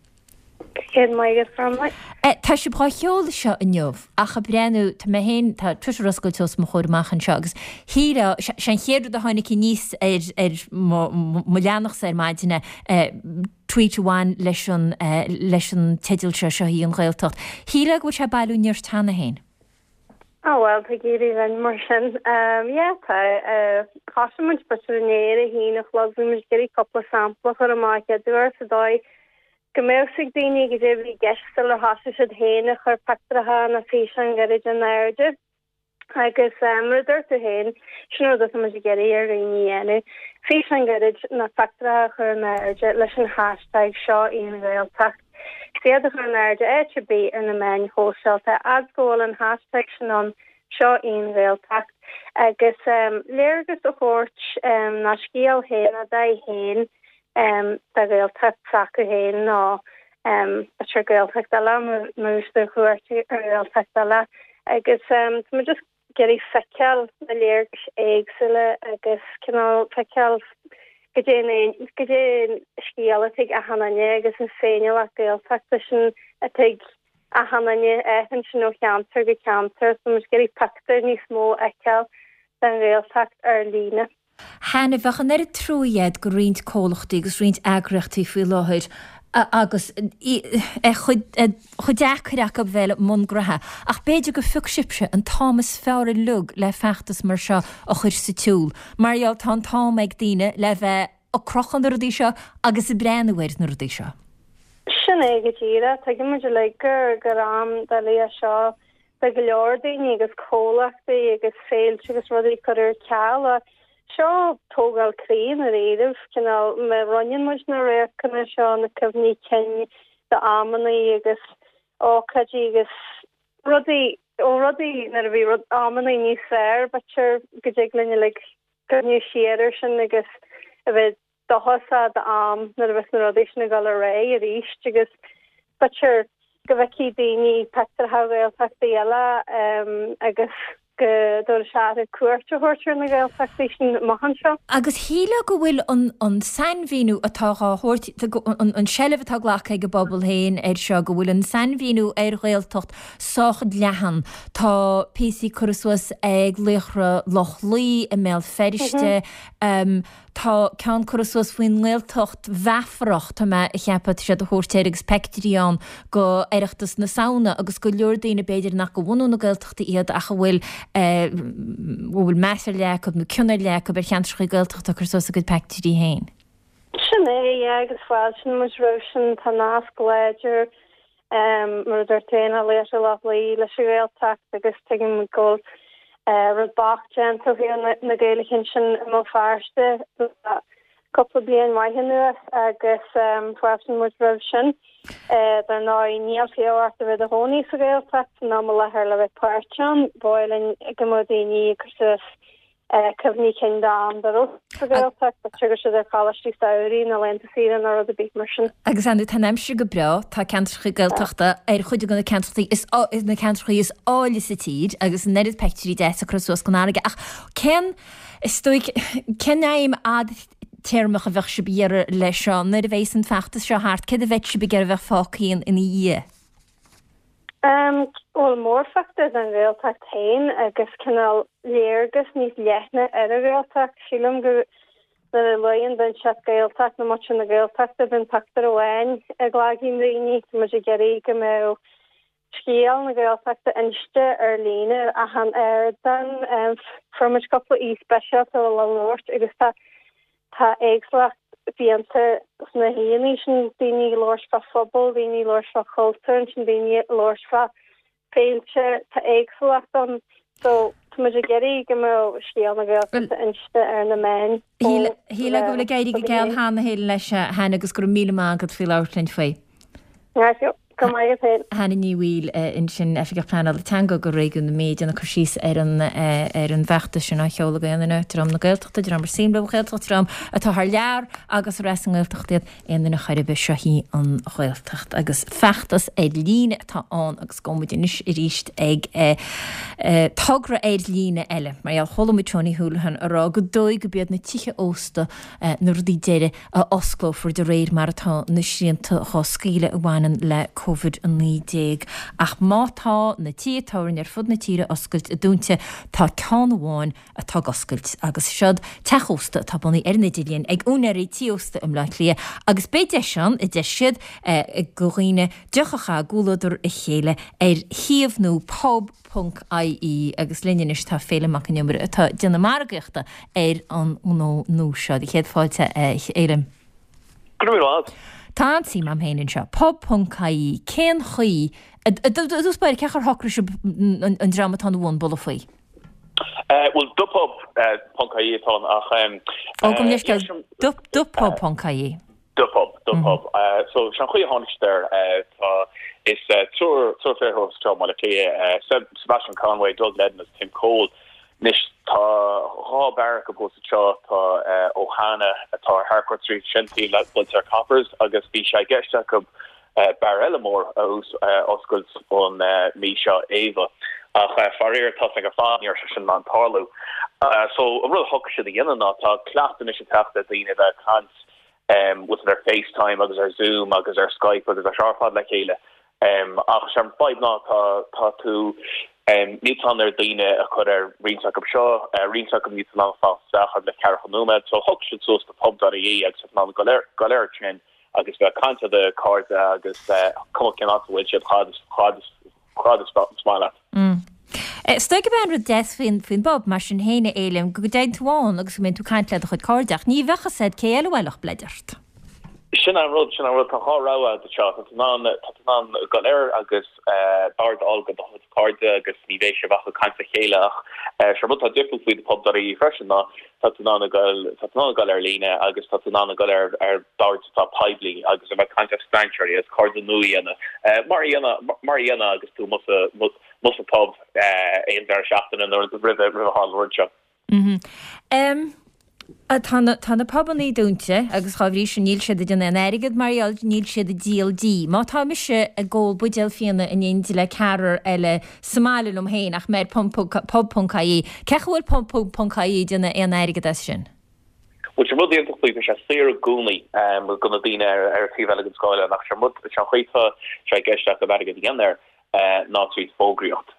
Céad maith agat, Gormfhlaith. Tá sibh dhá sheoladh seo inniu, ach ag breathnú, tá mé féin, tá Twitter oscailte os mo chomhair amach anseo agus shílfeá, sé an chéad rud a tháinig aníos ar ar mo mo leathanachsa ar maidin é, tweet a bhain leis an leis an teideal seo, Seo í an Ghaeltacht. Shílfeá go bhfuil sé ag bailiú nirt cheana féin. Á bhuel, tá ag éirí linn mar sin. Yeah, tá. Thosaigh muid b'fhéidir inné ar a haon a chlog, bhí muid ag iarraidh cúpla sampla a chur amach chéad uair sa dóigh go mbeadh 'fhios ag daoine goidé a bhí i gceist sular thosaigh siad féin ag cur pictiúracha nó físeáin ghairid in airde. Agus mar a dúirt tú féin, sin an rud atá muid ag iarraidh ar dhaoine a dhéanamh, físeán gairid nó pictiúracha a chur in airde leis an hashtag seo í an Ghaeltacht. Is iad a chur in airde áit ar bith ar na meáin shóisialta, fhad go bhfuil an hashtag sin ann, seo í an Ghaeltacht. Agus léargas a thabhairt nó scéal féin, a dtaithí féin de Ghaeltacht s'acu féin nó b'fhéidir Gaeltacht eile má bhí siad ar chuairt ar Ghaeltacht eile agus tá muid just ag iarraidh feiceáil na léargais éagsúla agus cineál feiceáil goidé goidé an scéal atá ag achan duine agus an féiniúlacht Gaeltachta sin atá ag achan duine, athraíonn sin ó cheantar go ceantar. Tá muid ag iarraidh pictiúr níos mó a fheiceáil den Ghaeltacht ar líne. Hannah, bheadh an oiread trua agat do roinnt comhlachtaí agus roinnt eagraíochtaí faoi láthair agus é chomh deacair acu bheith i mbun graithe, ach b'fhéidir go phioc sibhse an t-am is fearr uilig le feachtas mar seo a chur sa tsiúl, mar gheall tá an t-am ag daoine le bheith ag crochadh na rudaí seo agus ag breathnú ar na rudaí seo. Sin é go díreach. Tuigeann muid uilig gur gur am doiligh é seo do go leor daoine agus comhlachtaí agus féilte agus rudaí curtha ar ceal ach seo tógáil croí i ndáiríribh, cineál má roinneann muid na radharcanna seo, na cuimhní cinn d'amannaí agus ócáidí agus Rudaí ó rudaí nuair a bhí rud amanna níos fearr, b'fhéidir go dtig linn uilig cuimhniú siar air sin agus a bheith dóchasach d'am nuair a bheas na rudaí sin ag dul ar aghaidh arís agus b'fhéidir go bhfeicfidh daoine pictiúrtha Ghaeltachtaí eile agus go dtabharfaidh sé orthu cuairt a thabhairt ar na Gaeltachtaí sin amach anseo. Agus shílfeá go bhfuil an an sainmhíniú atá dhá thabhairt, an seilbh atá glactha ag an bpobal féin air seo, go bhfuil an sainmhíniú ar Ghaeltacht sách leathan. Tá píosaí curtha suas ag Laochra Loch Lao i mBéal Feirste, Tá ceann curtha suas faoin nGaeltacht mheafarach, tá mé a cheapadh, tá siad a thabhairt air agus peictiúirí ann go Oireachtas na Samhna agus go leor daoine b'fhéidir nach go bhunú na Gaeltachta iad ach a bhfuil a bhfuil meas ar leith acu nó cion ar leith acu ar cheantracha Gaeltachta ag cur suas a gcuid peictiúirí féin. Sin é, yeah, agus fáiltíonn muid roimh sin, tá nasc láidir mar a dúirt tú féin, Laochra Loch Lao leis an Ghaeltacht agus tuigim go bhfuil rud bocht déanta ó thaobh na Gaeilge ansin i mBéal Feirste le cúpla bliain maith anuas agus fáiltíonn muid roimh sin. Dar ndóigh, níl fiú ort a bheith i do chónaí sa Ghaeltacht san am i láthair le bheith páirteach ann. Ba mhaith linn go mbeadh daoine ag cur suas cuimhní cinn d'am dá raibh sa Ghaeltacht, b'fhéidir go raibh siad ar choláistí samhraidh nó laethanta saoire nó rud ar bith mar sin. Agus ar ndóigh, tá an aimsir go breá, tá ceantracha Gaeltachta ar chuid de na ceantracha is na ceantracha is áille sa tír agus an oiread peictiúirí deasa curtha suas den fharraige. Ach cén, is dóigh, cén aidhm fhadtéarmach a bheadh sibh ag iarraidh leis seo? Nuair a bheas an feachtas seo thart, céard a bheadh sibh ag iarraidh a bheith fágtha ina dhiaidh? Bhuel, mórphictiúr den Ghaeltacht féin agus cineál léargas níos leithne ar an Ghaeltacht. Sílim go nuair a luann duine inteacht Gaeltacht nó muintir na Gaeltachta, bíonn pictiúr amháin i gcloigeann daoine. Tá muid ag iarraidh go mbeadh scéal na Gaeltachta inste ar líne ar achan ardán. Fuair muid cúpla aoi speisialta le labhairt agus tá Tá éagsúlacht fiánta sna haíonna sin, daoine ag labhairt fá phobal, daoine ag labhairt fá chultúr, ansin daoine ag labhairt fá féilte, tá éagsúlacht ann. So, tá muid ag iarraidh go mbeadh scéal na Gaeltachta inste ar na meáin ó Shílfeá go bhfuil ag éirí go geal cheana féin leis, a Hannah, agus go raibh míle maith agat faoi labhairt linn faoi. Go maith agat féin. Hannah Ní Bhaoill ansin, Oifigeach Pleanála Teanga do Réigiún na Mí, ag déanamh cur síos ar an ar an bhfeachtas sin á sheoladh ag aon duine, dream na Gaeltachta, dream ar suim leo an Ghaeltacht, dream atá thar lear agus ar as an nGaeltacht iad, aon duine chor ar bith, seo í an Ghaeltacht. Agus feachtas ar líne atá ann agus gabhfaidh muid anois arís ag togra ar líne eile. Mar gheall, chuala muid Tony Holohan ag rá gur dóigh gurb iad na tithe ósta na rudaí deiridh a osclófar de réir mar atá na srianta dhá scaoileadh a bhaineann le Covid a naoi déag. Ach má tá na tithe tábhairne ar fud na tíre oscailte dúnta, tá ceann amháin atá ag oscailt agus seod teach ósta atá bunaithe ar an idirlíon ag úinéirí tí ósta i mBleá Cliath agus beidh deis ann, a deir siad, do dhaoine deoch a chaitheamh i gcomhluadar a chéile ar shuíomh nua pub ponc ie agus linn anois tá Féilim Mac Con Iomaire atá ag déanamh margaíochta ar an ngnó nua seo. Do chéad fáilte a Fhéilim. Go raibh míle maith agat. Tá an-suim a'm féin anseo. Pub ponc ie Cén chaoi, i dtús báire, cén chaoi ar shocraigh sibh an dream atá ina bhun bualadh faoi? Bhuel, the pub ponc ie atá ann ach. Ó, gabh mo leithscéal, the pub ponc ie. The pub, the pub. So, sé an chaoi a tháinig siad air, tá, is triúr, triúr fir thuas anseo i mBaile Átha Cliath, Sebastian Conway, Doug Ledden agus Tim Cole. Anois, tá dhá beár acu thuas anseo, tá Ohana atá ar Harcourt Street, sin taobh le buailte ar Coppers agus bhí sé i gceist acu beár eile mór a oscailt an mhí seo, Ava. Ach faraor, tá 's againn ar fad, ní raibh sé sin in ann tarlú. So, an rud a shocraigh siad a dhéanamh ná, tá cleachtadh anois ag teacht le daoine a bheith ag caint bhfuil 's agat ar FaceTime agus ar Zoom agus ar Skype agus ar seo ar fad le chéile. Ach sé an fadhb ná tá tá tú níl tú in ann ar daoine a chur ar roinnt acu seo, roinnt acu níl tú in ann fanacht isteach ach le ceathracha nóiméad. So shocraigh siad suas the pub dot ie agus tá tú in ann dul ar dul air sin agus bheith ag caint le do chairde agus cuma cén áit a bhfuil siad fad is fad is fad is maith leat. Is dóigh gurb é an rud deas faoin faoin bpub, mar sin féin, a Fhéilim, go dtéann tú ann agus go mbíonn tú ag caint le do chuid cairde, ach ní bheadh fhios a'd cé eile a bhuailfeadh bleid ort. Sin an rud, sin an rud, tá dhá rogha agat anseo, tá tú in ann, tá tú in ann dul air agus bord a fháil do do chuid cairde agus ní bheidh sibh ach ag caint le chéile ach sé an rud atá difriúil faoi The Pub dot ie freisin ná tá tú in ann a dhul, tá tú in ann a dhul ar líne agus tá tú in ann a dhul ar ar bhoird atá poiblí agus a bheith ag caint le strainséirí agus cairde nua a dhéanamh mar a dhéanamh, mar a dhéanamh agus tú amuigh sa, amuigh sa pub aon deireadh seachtaine nuair roimhe, roimhe a tharla an rud seo. Tá na, tá na pubannaí dúnta agus dhá bhrí sin níl siad ag déanamh aon airgead mar gheall níl siad ag díol dí. Má tá mise ag ól buidéal fíona in éindí le ceathrar eile sa mbaile liom féin ach mé ar pub ponc ie, cén chaoi a bhfuil pub ponc ie ag déanamh aon airgead as sin? Bhuel, sé an rud iontach faoi, tá sé saor i gcónaí do na daoine ar an taobh eile den scáileán ach sé an rud, sé an chaoi atá sé i gceist acu airgead a dhéanamh air ná tríd fógraíocht.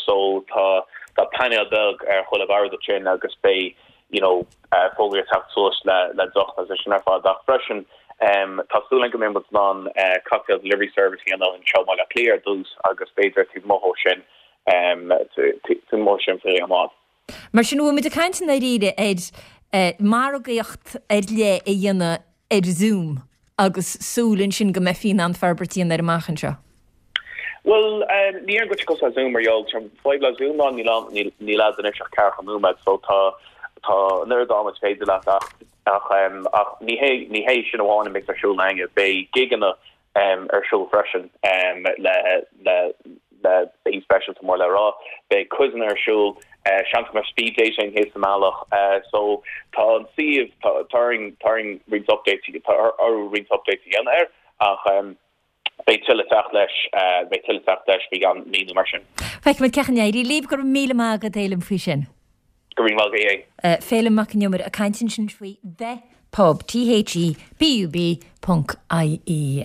So tá tá painéal beag ar chuile bhord ansin agus beidh you know fógraí ag teacht suas le le deoch agus é sin ar fad ach freisin tá súil againn go mbeidh muid in ann cocktail delivery service a dhéanamh anseo i mBaile Átha Cliath ar dtús agus b'fhéidir taobh amuigh ó sin taobh amuigh ó sin faoi am fhad. Mar sin, bhfuil muid ag caint i ndáiríre ar margaíocht ar leith a dhéanamh ar Zoom agus súil ansin go mbeifí in ann forbairt a dhéanamh air amach anseo? Bhuel, ní déarfainn go bhfuil sé cosúil le Zoom mar gheall, tá an fadhb le Zoom ná níl ann, níl agat anois ach ceathracha nóiméad so tá, tá an oiread ama is féidir leat ach, ach, ach ní hé, ní hé sin amháin a mbeidh ar siúl againne, beidh gigeanna ar siúl freisin le, le, le aoi speisialta mór le rá, beidh quizeanna ar siúl, seans go mbeidh speed dating thíos sa mbealach so tá an suíomh, tá, tá orainn, tá orainn roinnt updates, tá orthu roinnt updates a dhéanamh air ach. Beidh tuilleadh teacht leis, beidh tuilleadh teacht leis faoi cheann mí nó mar sin. Feicfimid cén chaoi a n-éireoidh libh. Go raibh míle maith agat, a Fhéilim, faoi sin. Go raibh maith agat. Féilim Mac an Iomaire ag caint ansin faoi The Pub, T H E P U B ponc I E,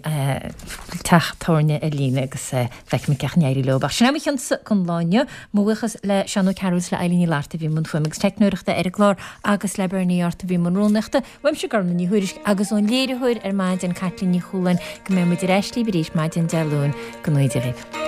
teach tábhairne ar líne agus feicfimid cén chaoi a n-éireoidh leo. Ach sin é mo chionsa don lá inniu. Mo bhuíochas le Seán Ó Cearúil is le Eilín Ní Fhlatharta a bhí i mbun fuaime agus teicneoireachta ar an gclár agus le Bernie Arthur a bhí i mbun rúnaíochta. Uaimse Gormfhlaith Ní Thuairisg agus ón léiritheoir ar maidin Caitlín Ní Chualáin go mbeidh muid ar ais libh arís maidin Dé Luain go ngnóthaí Dia dhaoibh.